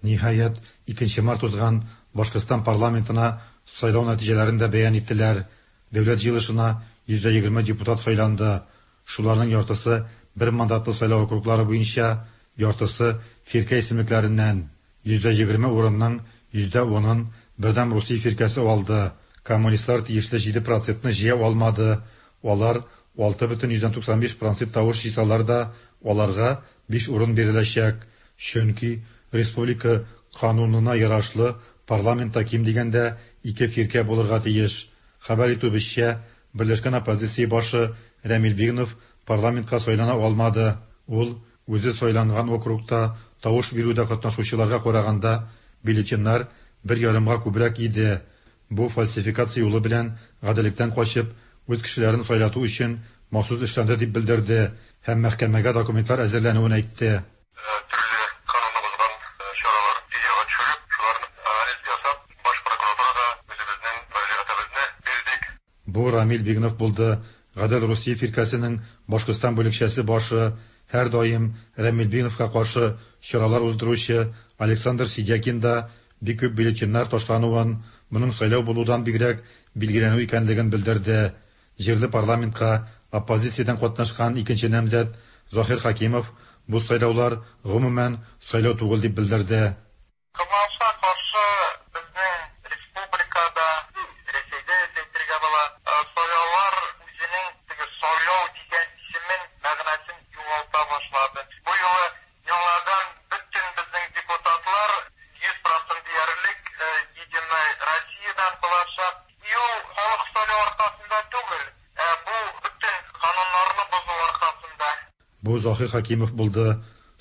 Ниһаять, 2 март узган Башкортстан парламентына сайлау нәтиҗәләрен дә бәян иттеләр. Дәүләт җыелышына 120 депутат сайланды. Шуларның яртысы бер мандатлы сайлау округлары буенча, яртысы фиркә исемлекләреннән. 120 урынның 10%-ын Бердәм Русия фиркәсе алды. Коммунистлар тиешле 7 процентны җыя алмады. Алар 6,95 процент тавыш җыйсалар да, аларга 5 урын биреләчәк. Чөнки республика канунына ярашлы парламентта ким дигәндә ике фиркә булырга тиеш. Хәбәр итүебезчә, Берләшкән оппозиция башы Рәмил Бигнов парламентка сайлана алмады. Ул үзе сайланган округта тавыш бирүдә катнашучыларга караганда бюллетеньнәр бер ярымга күбрәк иде. Бу фальсификация юлы белән гаделлектән качып, үз кешеләрен сайлату өчен махсус эшләнде дип белдерде һәм мәхкәмәгә документлар әзерләнүен әйтте. Бу Рамил Бигнов булды, Гадел Русия фиркәсенең Башкортстан бүлекчәсе башы, һәрдаим Рамил Бигновка каршы чаралар уздыручы Александр Сидякин да бик күп бюллетеньнәр ташлануын, моның сайлау булудан бигрәк билгеләнү икәнлеген белдерде. Җирле парламентка оппозициядән катнашкан икенче намзәт Заһир Хәкимов бу сайлаулар гомумән сайлау түгел дип белдерде. Кызганычка каршы, безнең республикада, Рәсәйдә дип әйтергә була, сайлаулар үзенең теге сайлау дигән исемен, мәгънәсен югалта башлады. Бу юлы яңадан бөтен безнең депутатлар 100 процент диярлек Единая Россиядән булачак. И ул халык сайлау аркасында түгел, ә бу бөтен кануннарны бозу аркасында. Бу Заһир Хәкимов булды.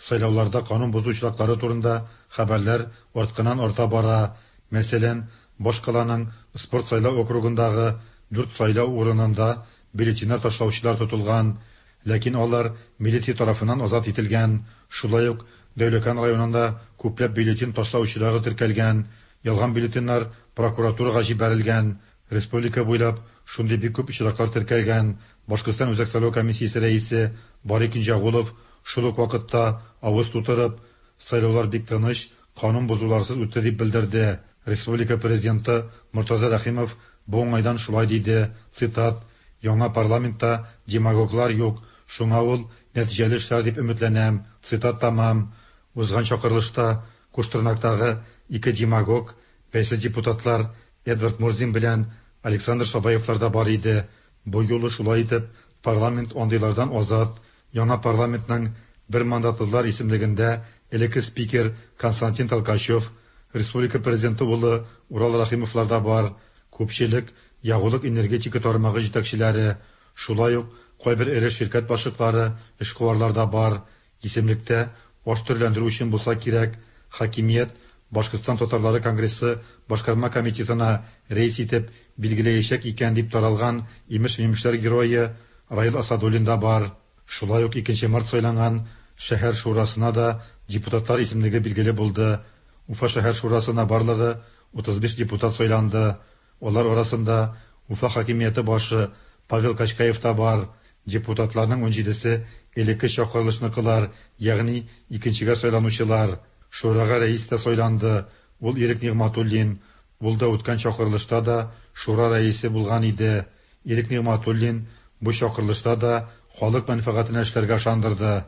Сайлауларда канун бозу очраклары турында хәбәрләр артканнан-арта бара. Мәсәлән, башкаланың Спорт сайлау округындагы дүрт сайлау урынында бюллетеньнәр ташлаучылар тотылган, ләкин алар милиция тарафыннан азат ителгән. Шулай ук Дәүләкән районында күпләп бюллетень ташлау очрагы теркәлгән, ялган бюллетеньнәр прокуратурага җибәрелгән. Республика буйлап шундый бик күп очраклар теркәлгән. Башкортстан Үзәк сайлау комиссиясе рәисе Бари Кинҗәгулов шул ук вакытта авыз тутырып, сайлаулар бик тыныч, канун бозуларсыз үтте дип белдерде. Республика Президенты Мортаза Рәхимов бу уңайдан шулай диде, цитат, Яңа парламентта демагоглар юк, шуңа ул нәтиҗәле эшләр дип өметләнәм, цитат тәмам. Узган чакырылышта Куштырнактагы ике демагог, бәйсез депутатлар Эдвард Мурзин белән Александр Шабаевлар да бар иде. Бу юлы шулай итеп парламент андыйлардан азат. Яңа парламентның бер мандатлылар исемлегендә элекке спикер Константин Толкачев, республика президенты улы Урал Рәхимовлар да бар. Күпчелек ягулык-энергетика тармагы җитәкчеләре, шулай ук кайбер эре ширкәт башлыклары, эшкуарлар да бар. Исемлектә аш төрләндерү өчен булса кирәк, хакимият Башкортстан татарлары конгрессы башкарма комитетына рәис итеп билгеләячәк икән дип таралган имеш-мимешләр герое Раил Асадуллин да бар. Шулай ук икенче март сайланган шәһәр шурасына да депутатлар исемлеге билгеле булды. Уфа шәһәр шурасына барлыгы 35 депутат сайланды. Алар арасында Уфа хакимияте башы Павел Качкаев та бар. Депутатларның унҗидесе элекке чакырылышныкылар, ягъни икенчегә сайланучылар. Шурага рәис тә сайланды, ул Ирек Нигъмәтуллин. Ул да үткән чакырылышта да шура рәисе булган иде. Ирек Нигъмәтуллин бу чакырылышта да халык мәнфәгатенә эшләргә ышандырды.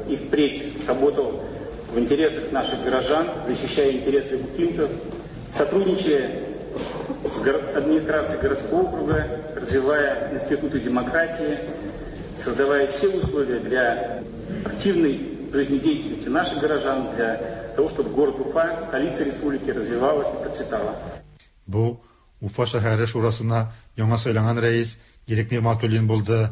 И впредь работал в интересах наших горожан, защищая интересы уфимцев, сотрудничая с администрацией городского округа, развивая институты демократии, создавая все условия для активной жизнедеятельности наших горожан, для того, чтобы город Уфа, столица республики, развивалась и процветала. Бу Уфа шәһәре шурасына яңа сайланган рәис Ирек Нигъмәтуллин булды.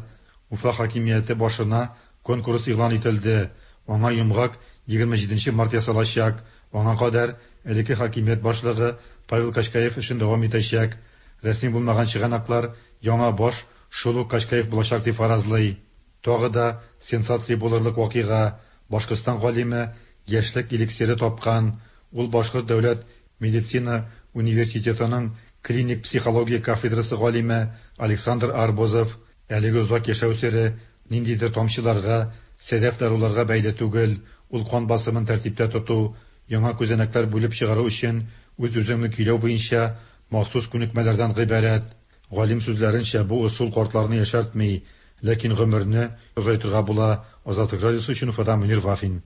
Уфа хакимияте башына конкурс игълан ителде. Аңа йомгак 27 нче март ясалачак. Аңа кадәр элекке хакимият башлыгы Павел Качкаев эшен дәвам итәчәк. Рәсми булмаган чыганаклар яңа баш шул ук Качкаев булачак дип фаразлый. Тагы да сенсация булырлык вакыйга, Башкортстан галиме яшьлек эликсиры тапкан. Ул Башкорт дәүләт медицина университетының клиник психология кафедрасы галиме Александр Арбузов. Әлеге озак яшәү сере ниндидер тамчыларга, сәдәф даруларга бәйле түгел, ул кан басымын тәртиптә тоту, яңа күзәнәкләр бүлеп чыгару өчен үз-үзеңне көйләү буенча махсус күнекмәләрдән гыйбарәт. Галим сүзләренчә, бу ысул картларны яшәртми, ләкин гомерне озайтырга була. Азатлык радиосы өчен Уфадан Мөнир Вафин.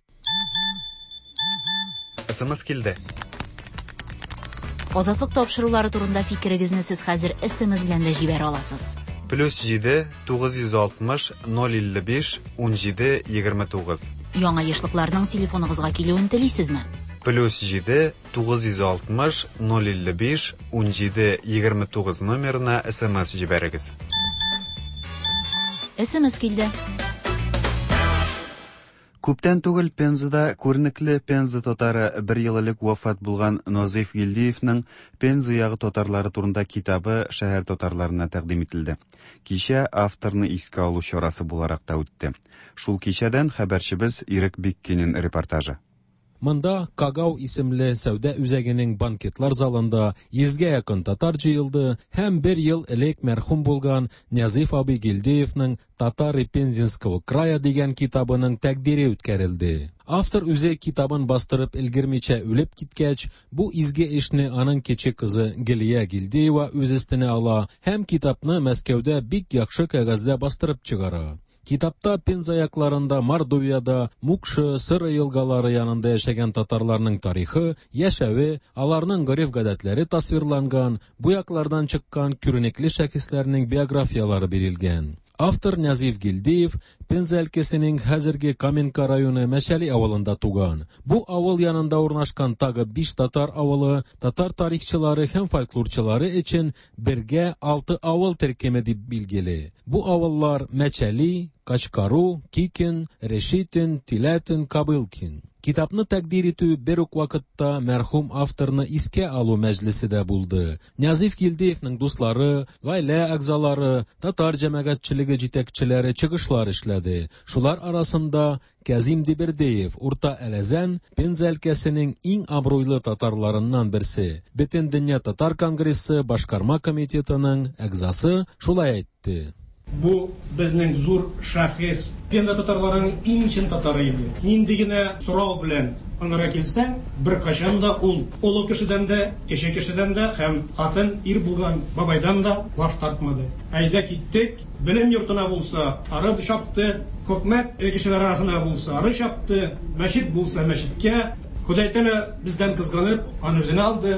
СМС килде. Азатлык тапшырулары турында фикерегезне сез хәзер SMS белән дә җибәрә аласыз. Плюс 7 960 055 17 29. Яңа ешлыкларның телефоныгызга килүен телисезме? Плюс 7 960 055 17 29 номерына SMS җибәрегез. SMS килде. Күптән түгел Пензада күренекле Пенза татары бер ел элек вафат булган Назыйф Гилдиевның Пенза ягы татарлары турында китабы шәһәр татарларына тәкъдим ителде. Кичә авторны искә алу чарасы буларак та үтте. Шул кичәдән хәбәрчебез Ирек Биккинин репортажы. Монда Кагау исемле сәүдә үзәгенең банкетлар залында 100гә якын татар җыелды һәм бер ел элек мәрхүм булган Нәзиф абый Гилдиевның Татары Пензенского края дигән китабының тәкъдире үткәрелде. Автор үзе китабын бастырып өлгермичә үлеп киткәч, бу изге эшне аның кече кызы Гөлия Гилдиева үз өстенә ала һәм китапны Мәскәүдә бик яхшы кәгазьдә бастырып чыгара. Китапта Пенза якларында, Мордовиядә, Мукшы, Сыры елгалары янында яшәгән татарларның тарихы, яшәве, аларның гореф-гадәтләре тасвирланган, бу яклардан чыккан күренекле шәхесләрнең биографияләре бирелгән. Автор Нәзиф Гилдиев Пенза өлкәсенең хәзерге Каменка районы Мәчәли авылында туган. Бу авыл янында урнашкан тагы биш татар авылы татар тарихчылары һәм фольклорчылары өчен бергә алты авыл төркеме дип билгеле. Бу авыллар Мәчәли, Качкару, Кикин, Решитин, Тиләтин, Кобылкин. Китапны тәкъдир итү бер үк вакытта мәрхүм авторны искә алу мәҗлесе дә булды. Нәзиф Гилдиевның дуслары, гаилә әгъзалары, татар җәмәгатьчелеге җитәкчеләре чыгышлар эшләде. Шулар арасында Кязим Дибердеев, Урта Әләзән, Пенза өлкәсенең иң абруйлы татарларыннан берсе, Бөтендөнья татар конгрессы башкарма комитетының әгъзасы шулай әйтте. Бу безнең зур шәхес, Пенза татарларының иң чын татары иде. Нинди генә сорау белән аңара килсәң, беркайчан да ул олы кешедән дә, кече кешедән дә һәм хатын, ир булган бабайдан да баш тартмады. Әйдә киттек, белем йортына булса, ары чапты, хөкүмәт кешеләре арасына булса, ары чапты, мәчет булса, мәчеткә. Ходай Тәгалә бездән кызганып, аны үзенә алды.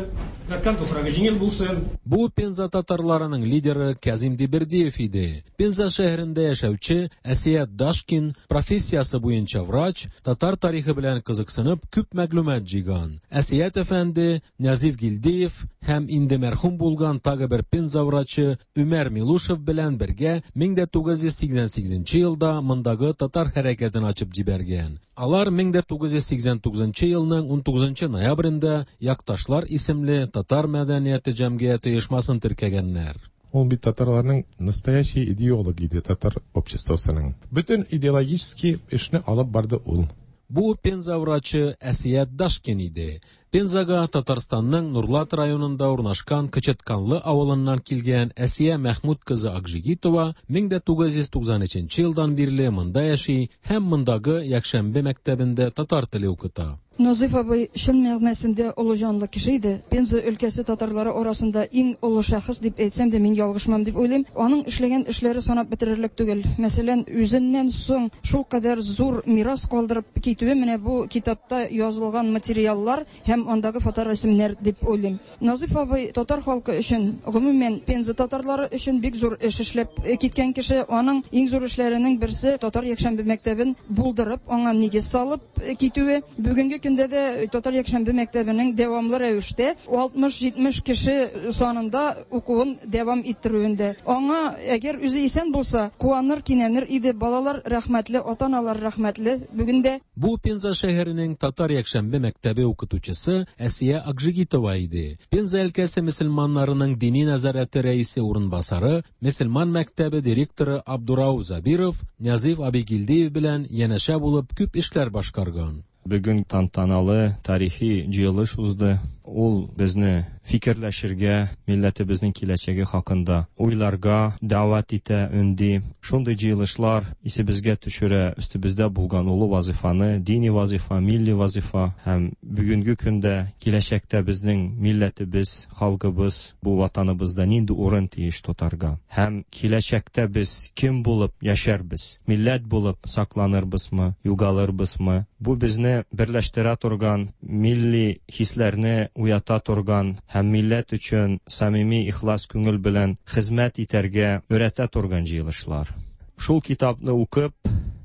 Яткан туфрагы җиңел булсын. Бу Пенза татарларының лидеры Кязим Дибердиев иде. Пенза шәһәрендә яшәүче Әсият Дашкин профессиясе буенча врач, татар тарихы белән кызыксынып күп мәгълүмат җыйган. Әсият әфәнде Нәзиф Гилдиев һәм инде мәрхүм булган тагы бер Пенза врачы Өмәр Милушев белән бергә 1988 елда мондагы татар хәрәкәтен ачып җибәргән. Алар 1989 елның 19 ноябрендә Якташлар исемле татар мәдәнияте җәмгыяте оешмасын теркәгәннәр. Ул бит татарларның настоящий идеолог иде татар обществосының. Бөтен идеологический эшне алып барды ул. Бу Пенза врачы Әсият Дашкин иде. Пензага Татарстанның Нурлат районында урнашкан Кычытканлы авылыннан килгән Әсия Мәхмүт кызы Акжигитова 1993 елдан бирле монда яши һәм мондагы якшәмбе мәктәбендә татар теле укыта. Назыйф абый чын мәгънәсендә олы җанлы кеше иде. Пенза өлкәсе татарлары арасында иң олы шәхес дип әйтсәм дә, мин ялгышмам дип уйлыйм. Аның эшләгән эшләре санап бетерерлек түгел. Мәсәлән, үзеннән соң шулкадәр зур мирас калдырып китүе менә бу китапта язылган материаллар һәм андагы фоторәсемнәр дип уйлыйм. Назыйф абый татар халкы өчен, гомумән, Пенза татарлары өчен бик зур эш эшләп киткән кеше. Аның иң зур эшләренең берсе татар якшәмбе мәктәбен булдырып, аңа нигез салып китүе. Бүгенге көндә дә татар якшәмбе мәктәбенең дәвамлы рәвештә 60-70 кеше санында укуын дәвам иттерүендә. Аңа, әгәр үзе исән булса, куаныр, кинәнер иде. Балалар рәхмәтле, ата-аналар рәхмәтле бүген дә. Бу Пенза шәһәренең татар якшәмбе мәктәбе укытучысы Әсия Акжигитова иде. Пенза өлкәсе мөселманнарының дини нәзарәте рәисе урынбасары, мөселман мәктәбе директоры Абдурауф Забиров Нәзиф Абигилдиев белән янәшә булып күп эшләр башкарган. Бүген тантаналы тарихи җыелыш узды. Ул безне фикерләшергә, милләтебезнең киләчәге хакында уйларга дәгъват итә, өнди. Шундый җыелышлар исебезгә төшерә өстебездә булган олы вазыйфаны, дини вазыйфа, милли вазыйфа һәм бүгенге көндә, киләчәктә безнең милләтебез, халкыбыз бу ватаныбызда нинди урын тиеш тотарга һәм киләчәктә без кем булып яшәрбез, милләт булып сакланырбызмы, югалырбызмы? Бу безне берләштерә торган, милли хисләрне уята торган һәм милләт өчен самими ихлас күңел белән хезмәт итәргә өйрәтә торган җыелышлар. Шул китапны укып,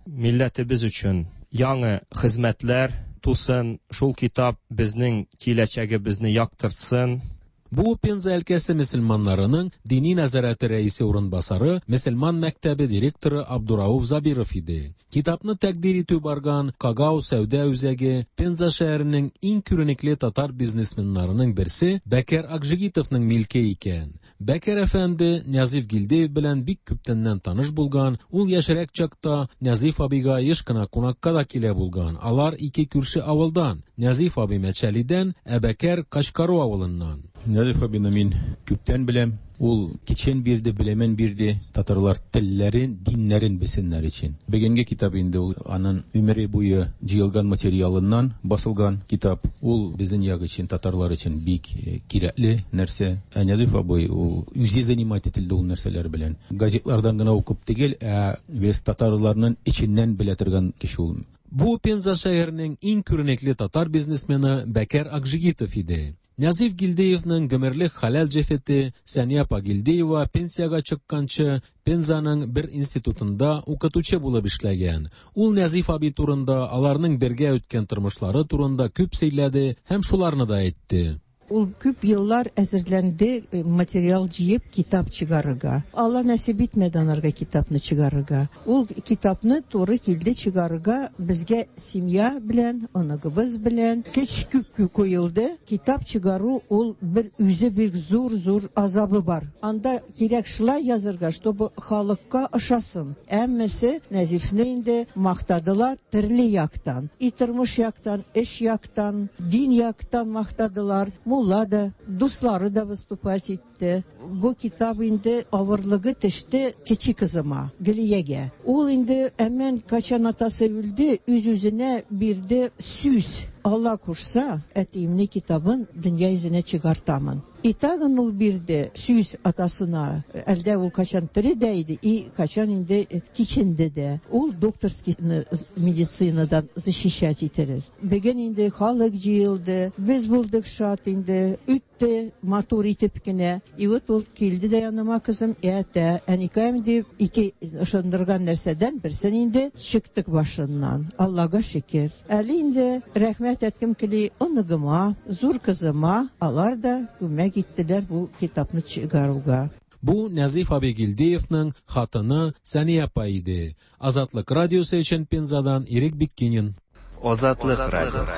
милләтебез өчен яңа хезмәтләр тусын, шул китап безнең киләчәгебезне яктыртсын. Бу Пенза өлкәсе мөселманнарының дини нәзарәте рәисе урынбасары, мөселман мәктәбе директоры Абдурауф Забиров иде. Китапны тәкъдир итү барган Кагау сәүдә үзәге Пенза шәһәренең иң күренекле татар бизнесменнарының берсе Бәкер Акжигитовның милке икән. Бәкер әфәнде Нәзиф Гилдеев белән бик күптәннән таныш булган, ул яшьрәк чакта Нәзиф абыйга еш кына кунакка да килә булган. Алар ике күрше авылдан, Нәзиф абый Мәчәлидән, ә Бәкер Качкару авылыннан. Нәзиф абыйны мин күптән беләм. Ул кичен бирде, белемен бирде, татарлар телләрен, диннәрен белсеннәр өчен. Бүгенге китап инде ул анын өмере буе җыелган материалыннан басылган китап. Ул безнең як өчен, татарлар өчен бик кирәкле нәрсә. Ә Нәзиф абый ул үзе занимать ителде ул нәрсәләр белән. Газетлардан гына укып түгел, ә вес татарларның эченнән белә торган кеше ул. Бу Пенза шәһәренең иң күренекле татар бизнесмены Бәкер Акжигитов иде. Нәзиф Гилдеевның гомерлек хәләл җефете Сәния апа Гилдеева пенсиягә чыкканчы Пензаның бер институтында укытучы булып эшләгән. Ул Нәзиф абый турында, аларның бергә үткән тормышлары турында күп сөйләде һәм шуларны да әйтте. Ул күп еллар әзерләнде, материал җыеп, китап чыгарырга. Алла нәсип итмәде анарга китапны чыгарырга. Ул китапны туры килде чыгарырга безгә семья белән, оныгыбыз белән. Көч күп куелды. Китап чыгару ул бер үзе бик зур-зур азабы бар. Анда кирәк шулай язырга, чтобы халыкка ошасын. Әммәсе Нәзифне инде мактадылар төрле яктан. И тормыш яктан, эш яктан, дин яктан мактадылар. Мулла да, дуслары да выступать итте. Бу китап инде авырлыгы төште кече кызыма, Гөлиягә. Ул инде әмән качан атасы үлде, үз-үзенә бирде сүз. Алла кушса, әтиемне китабын дөнья йөзенә чыгартамын. И тагын ул бирде сүз атасына, әлдә ул качан тере дә иде, и качан инде киченде дә. Ул докторскийны медицинадан защищать итерер. Бүген инде халык җыелды, без булдык шат инде, үтте матур итеп кенә. И вот ул килде дә яныма кызым, әтә, әникәем дип, ике ышандырган нәрсәдән берсен инде чыктык башыннан. Аллага шөкер. Әле инде рәхмәт әйткем кили оныгыма, зур кызыма, алар да күмәк иттеләр бу китапны чыгаруга. Бу Нәзиф абый Гилдеевның хатыны Сәния апа иде. Азатлык радиосы өчен Пензадан Ирек Биккинин. Азатлык радиосы.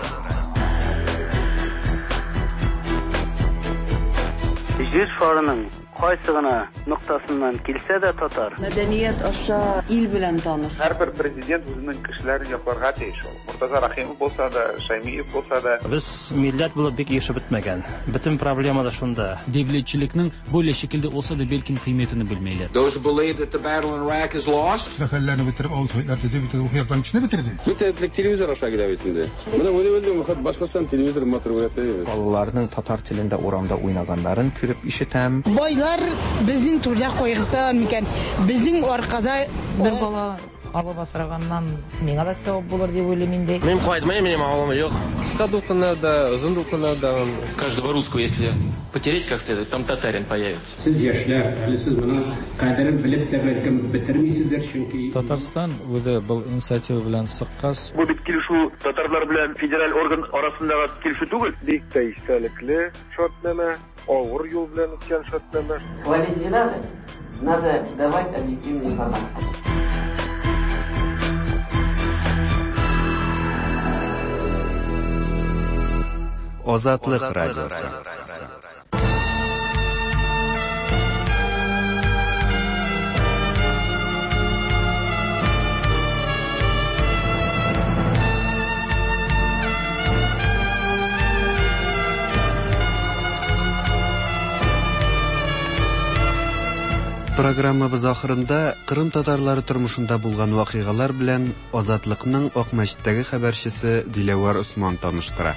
Җир шарының кайсы гына ноктасыннан килсә дә татар. Мәдәният аша ил белән таныш. Һәрбер президент үзенең кешеләрен якларга тиеш ул. Мортаза Рәхимов булса да, Шәймиев булса да. Без милләт булып бик ирешеп бетмәгән. Бөтен проблема да шунда. Дәүләтчелекнең бөйлә шикелдә olsa да бәлкем кыйммәтен белмиләр. Those who believe that the battle in Iraq is lost. Мәхәлләне бетереп, авыл советлар төзеп, бөтен рухи яктан кешене бетерде. Бөтен телевизор аша килә бит инде. Менә моны белдем, Башкортстан телевизор матур күрәтә. Балаларның татар телендә урамда уйнаганнарын күреп ишетәм. Байлар безнең түрдә кайгырта микән? Безнең аркада бер бала алып асраганнан миңа да савап булыр дип уйлыйм инде. Мин кайтмыйм, минем авылым юк. Кыска дулкыннарда, озын дулкыннарда. Каждого русского, если потереть как следует, там татарин появится. Сез яшьләр, әле сез моның кадерен белеп тә бәлкем бетермисездер, чөнки Татарстан үзе был инициатива белән чыккач. Бу бит килешү татарлар белән федераль орган арасындагы килешү түгел. Бик тә истәлекле шартнамә, авыр юл белән үткән шартнамә. Хвалить не надо, надо давать объективную информацию. Азатлык радиосы. Программабыз ахырында Кырым татарлары тормышында булган вакыйгалар белән Азатлыкның Акмәчеттәге хәбәрчесе Диләвәр Осман таныштыра.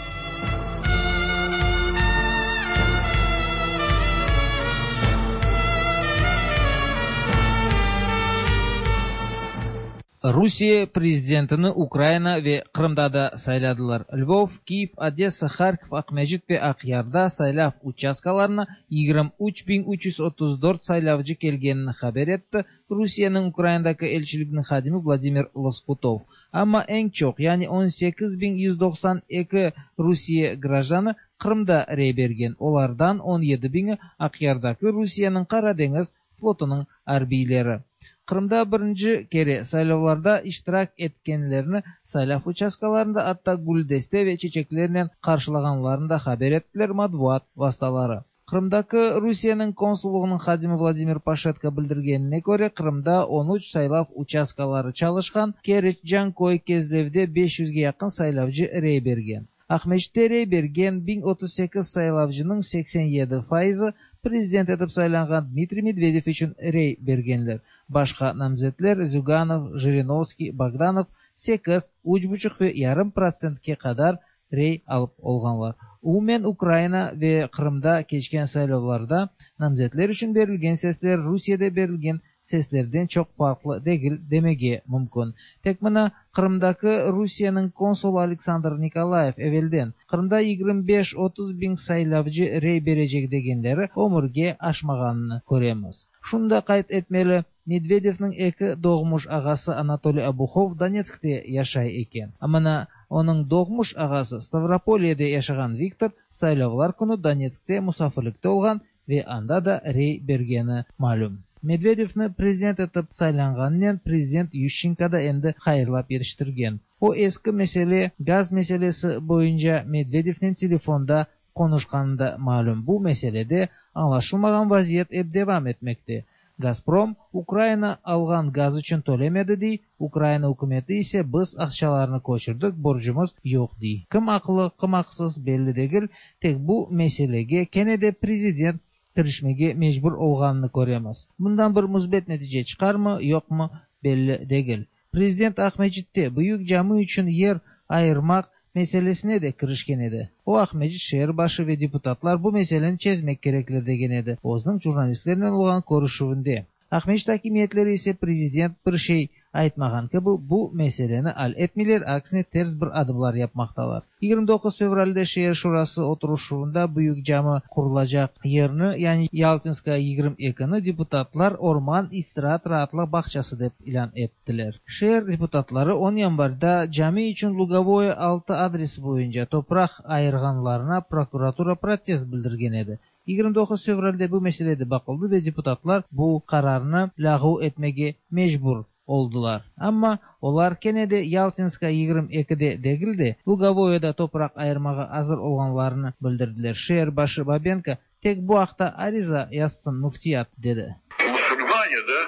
Rusiye prezidentini Ukraina ve Qırımda da sayladılar. Lvov, Kiyev, Odessa, Harkov, Aqmescit ve Aqyarda saylav uchastkalarına 23334 saylavcı kelgenini haber etti Rusiyeniñ Ukrainadaki elçiliginiñ hadimi Vladimir Loskutov. Amma eñ çoq, yani 18192 Rusiye grajdanı Qırımda rey bergen. Olardan 17000-i Aqyardaki Rusiyeniñ Qara deñiz flotunıñ arbiyleri. Qırımda birinci kere saylavlarda iştirak etkenlerni saylav uchastkalarında atta güldeste ve çeçeklernen qarşılağanlarını da haber ettiler matbuat vastaları. Qırımdaki Rusiyeniñ konsullığınıñ hadimi Vladimir Paşetko bildirgenine köre, Qırımda 13 saylav uçastkaları çalışqan, Keriç, Canköy, Kezlevde 500ge yaqın saylavcı rey bergen. Aqmescitte rey bergen 1038 saylavcınıñ 87%-ı prezident etip saylanğan Dmitriy Medvedev içün rey bergenler. Başqa namzetler Züganov, Jirinovskiy, Bogdanov 8, 3,5 ve yarım protsentke qadar rey alıp olğanlar. Umumen Ukraina ve Qırımda keçken saylavlarda namzetler içün berilgen sesler Rusiyede berilgen seslerden çoq farqlı degil demege mümkün. Tek mına Qırımdaki Rusiyeniñ konsulı Aleksandr Nikolayev evelden Qırımda 25-30 biñ saylavcı rey berecek degenleri ömürge aşmağanını köremiz. Şunı da qayd etmeli, Medvedevniñ eki doğmuş ağası Anatoliy Obuhov Donetskte yaşay eken. A mına onıñ doğmuş ağası Stavropolyede yaşağan Viktor saylavlar künü Donetskte musafirlikte olğan ve anda da rey bergeni malüm. Medvedevni prezident etip saylanğanınen prezident Yuşçenko da endi hayırlap yetiştirgen. O eski mesele, gaz meselesi boyunca Medvedevnen telefonda qonuşqanı da malüm. Bu meselede añlaşılmağan vaziyet ep devam etmekte. Gazprom, Ukraina alğan gaz içün tölemedi dey, Ukraina ükümeti ise biz aqçalarnı köçürdik, borcumız yoq dey. Kim aqlı, kim aqsız belli degil, tek bu meselege kene de prezident kirişmege mecbur olğanını köremiz. Bundan bir müsbet netice çıqarmı, yoqmı belli degil. Prezident Aqmescitte büyük cami içün yer ayırmaq meselesine de kirişken edi. O, Aqmescit şeer başı ve deputatlar bu meseleni çezmek kerekler degen edi özüniñ jurnalistlernen olğan körüşüvinde. Aqmescit akimiyetleri ise prezident bir şey aytmağan kibi bu meseleni al etmeyler, aksine ters bir adımlar yapmaqtalar. 29 fevralde şeer şurası oturışuvında büyük cami qurulacaq yerni, yani Yaltinskaya 22-ni deputatlar orman istiraat-raatlıq bağçası dep ilân ettiler. Şeer deputatları 10 yanvarda cami içün Lugovoye 6 adresi boyunca topraq ayırğanlarına prokuratura protest bildirgen edi. 29 fevralde bu mesele de baqıldı ve deputatlar bu qararnı lâğu etmege mecbur oldılar. Amma olar kene de Yaltinskaya 22-de degil de, Lugovoyeda topraq ayırmağa azır olğanlarını bildirdiler. Şeer başı Babenko tek bu aqta ariza yazsın müftiyat, dedi. Мусульмане, да,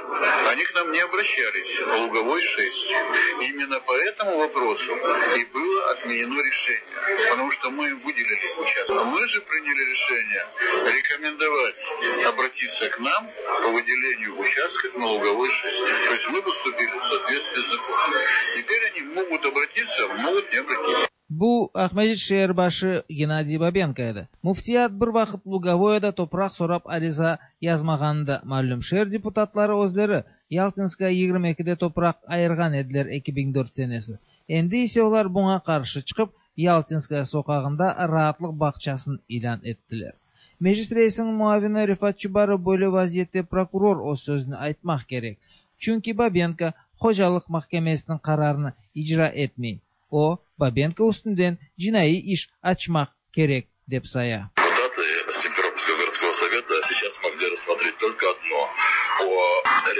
они к нам не обращались по Луговой 6. Именно по этому вопросу и было отменено решение, потому что мы им выделили участок. Мы же приняли решение рекомендовать обратиться к нам по выделению участка на Луговой 6. То есть мы поступили в соответствии с законом. Теперь они могут обратиться, могут не обратиться. Bu Aqmescit şeer başı Gennadiy Babenko edi. Müftiyat bir vaqıt Lugovoyada topraq sorap ariza yazmağanı da malüm. Şeer deputatları özleri Yaltinskaya 22-de topraq ayırğan ediler 2004 senesi. Endi ise olar buña qarşı çıqıp, Yaltinskaya soqağında raatlıq bağçasını ilân ettiler. Meclis reisiniñ muavini Refat Çubarov böyle vaziyette prokuror öz sözüni aytmaq kerek, çünki Babenko hocalıq mahkemesiniñ qararını icra etmey. O, Babenko üstünden cinaiy iş açmaq kerek, dep saya. Deputаты Симферопольского городского совета сейчас могли рассмотреть только одно о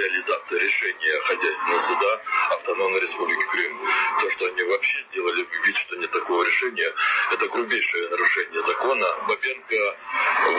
реализации решения хозяйственного суда Автономной Республики Крым. То, что они вообще сделали вид, что нет такого решения, это грубейшее нарушение закона. Бабенко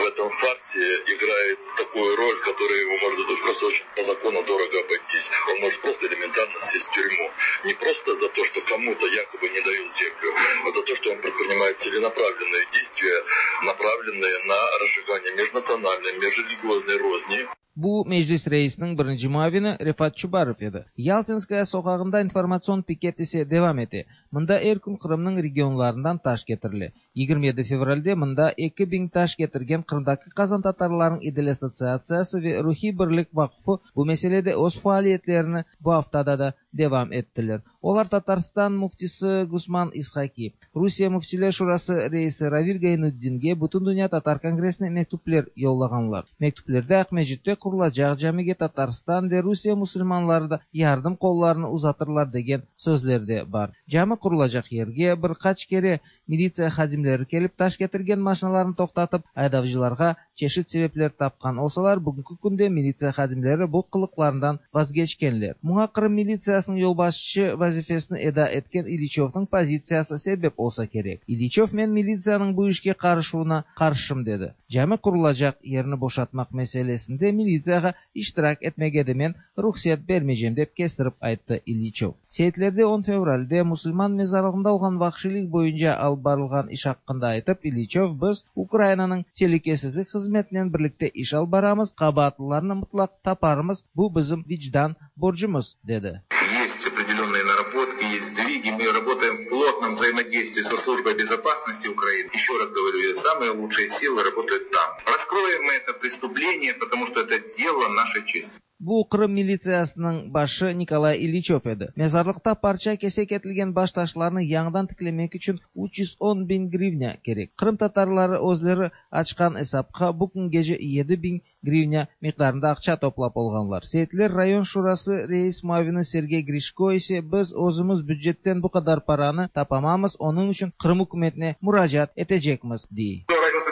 в этом фарсе играет такую роль, которая ему может просто очень по закону дорого обойтись. Он может просто элементарно сесть в тюрьму. Не просто за то, что кому-то якобы не дают землю, а за то, что он предпринимает целенаправленные действия, направленные на разжигание межнациональной, межрелигиозной розни. Bu Meclis reisiniñ birinci muavini Refat Çubarov edi. Yaltinskaya soqağında informatsion piket ise devam ete. Mında er kün Qırımnıñ regionlarından taş ketirile. 27 fevralde mında 2000 taş ketirgen Qırımdaki qazantatarlarnıñ İdil assotsiatsiyası ve Ruhiy birlik vaqufı bu meselede öz faaliyetlerini bu aftada da devam ettiler. Olar Tatarstan müftisi Gusman İshaki, Rusiye Müftiler Şurası reisi Ravil Gaynutdinge, Bütündünya tatar kongressine mektüpler yollağanlar. Mektüplerde Aqmescitte qurulacaq camige Tatarstan ve Rusiye musulmanları da yardım qollarını uzatırlar degen sözler de bar. Cami qurulacaq yerge bir qaç kere militsiya hadimleri kelip taş ketirgen maşinalarnı toqtatıp, aydavcılarğa çeşit sebepler tapqan olsalar, bugünki künde militsiya hadimleri bu qılıqlarından vazgeçkenler. Buña Qırım militsiyasınıñ yolbaşçı vazifesini eda etken İliçövniñ pozitsiyası sebep olsa kerek. İliçöv men militsiyanıñ bu işke qarışuvına qarşım dedi. Cami qurulacaq yerni boşatmaq meselesinde militsiyağa iştirak etmege de men ruhset bermeycem, dep kestirip ayttı İliçöv. Seytlerde on fevralde musulman mezarlığında olğan vahşiylik boyunca alıp barılğan iş aqqında aytıp, İliçöv, Biz Ukrainanıñ telükesizlik hızmetinen birlikte iş alıp baramız, qabaatlılarnı mıtlaq taparmız, bu bizim vicdan borcumız, dedi. Есть определенные наработки, есть сдвиги. Мы работаем в плотном взаимодействии со службой безопасности Украины. Еще раз говорю, самые лучшие силы работают там. Раскроем мы это преступление, потому что это дело нашей чести. Bu Qırım militsiyasınıñ başı Nikolay İliçöv edi. Mezarlıqta parça-kesek etilgen baştaşlarnı yañıdan tiklemek içün 310 biñ grivnâ kerek. Qırımtatarları özleri açqan esapqa bu küngece 7000 grivnâ miqdarında aqça toplap olğanlar. Seyitler rayon şurası reis muavini Sergey Grişko ise biz özümiz bücetten bu qadar paranı tapamamız, onıñ içün Qırım ükümetine muracaat etecekmiz, dey.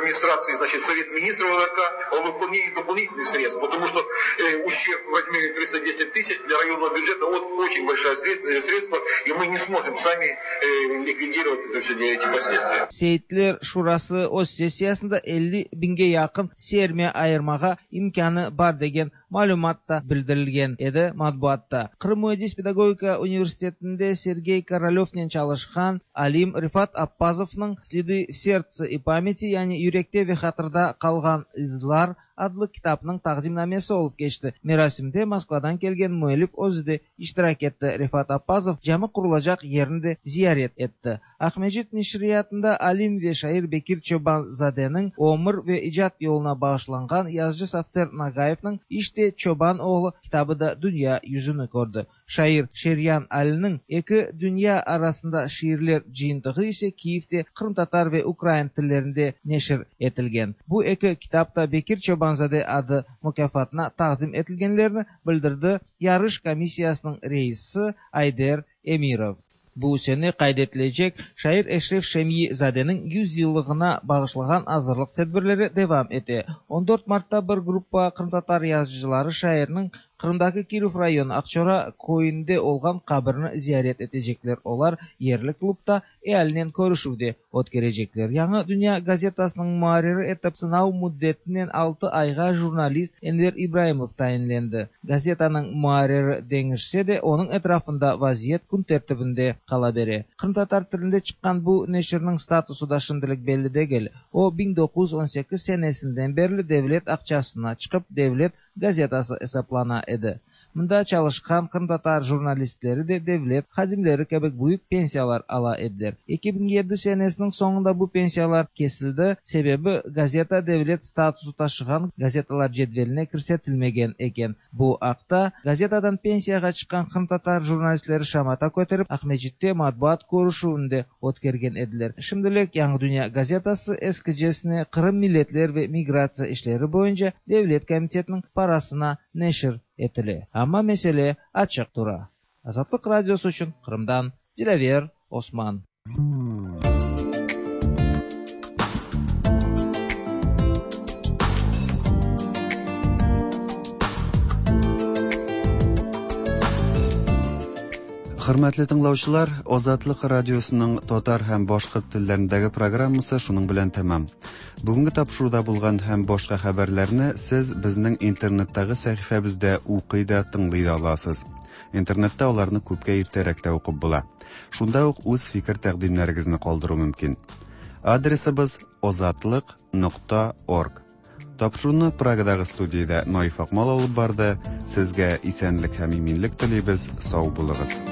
Администрации, значит, Совет министров РК о выполнении дополнительных средств, потому что ущерб в размере 310 тысяч для районного бюджета вот очень большое средство, и мы не сможем сами ликвидировать это все, эти последствия. Seyitler şurası öz sessiyasında 50 biñge yaqın sermiya ayırmağa imkânı bar degen malümat da bildirilgen edi matbuatta. Qırım müendis pedagogika universitetinde Sergey Korolyovnen çalışqan alim Refat Appazovnıñ Sledı v serdtse i pamyati, yani Yürekte ve hatırda qalğan izlar adlı kitapnıñ taqdimnamesi olıp keçti. Merasimde Moskvadan kelgen müellif özü de iştirak etti. Refat Appazov cami qurulacaq yerni de ziyaret etti. Aqmescit neşriyatında alim ve şair Bekir Çoban-zadeniñ ömür ve icat yoluna bağışlanğan yazıcı Safter Nagayevniñ İşte, çoban oğlu kitabı da dünya yüzüni kördi. Şair Şeryan Aliniñ Eki dünya arasında şiirler cıyıntığı ise Kiyevde qırımtatar ve ukrain tillerinde neşir etilgen. Bu eki kitap da Bekir Çoban-zade adı mukâfatına taqdim etilgenlerini bildirdi yarış komissiyasınıñ reisi Ayder Emirov. Bu sene qayd etilecek şair Eşref Şemyi-zadeniñ 100 yıllığına bağışlağan azırlıq tedbirleri devam ete. On dört martta bir gruppa qırımtatar yazıcıları şairniñ Qırımdaki Kirov rayonı Aqçora köyünde olğan qabirini ziyaret etecekler. Olar yerli klubta ealinen körüşüv de ötkerecekler. Yañı dünya gazetasınıñ muarriri etip sınav müddetinen altı ayğa jurnalist Enver İbraimov tayinlendi. Gazetanıñ muarriri deñişse de, onıñ etrafında vaziyet kün tertibinde qala bere. Qırımtatar tilinde çıqqan bu neşirniñ statusı da şimdilik belli degil. O, 1918 senesinden berli devlet aqçasına çıqıp, devlet gazetası esaplana edi. Mında çalışqan qırımtatar jurnalistleri de devlet hadimleri kibi büyük pensiyalar ala ediler. 2007 senesiniñ soñunda bu pensiyalar kesildi, sebebi, gazeta devlet statusı taşığan gazetalar cedveline kirsetilmegen eken. Bu aqta gazetadan pensiyağa çıqqan qırımtatar jurnalistleri şamata köterip, Aqmescitte matbuat körüşüvinde ötkergen ediler. Şimdilik Yañı dünya gazetası eskicesine Qırım milletler ve migratsiya işleri boyunca devlet komitetiniñ parasına neşir etile. Amma mesele açıq tura. Azatlıq Radiosı içün Qırımdan Dilâver Osman. Хөрмәтле тыңлаучылар, Азатлык радиосының татар һәм башкорт телләрендәге программасы шуның белән тәмам. Бүгенге тапшыруда булган һәм башка хәбәрләрне сез безнең интернеттагы сәхифәбездә укый да, тыңлый да аласыз. Интернетта аларны күпкә иртәрәк тә укып була. Шунда ук үз фикер-тәкъдимнәрегезне калдыру мөмкин. Адресыбыз озатлык нокта орг. Тапшыруны Прагадагы студиядә Наиф Акмал алып барды. Сезгә исәнлек һәм иминлек телибез. Сау булыгыз.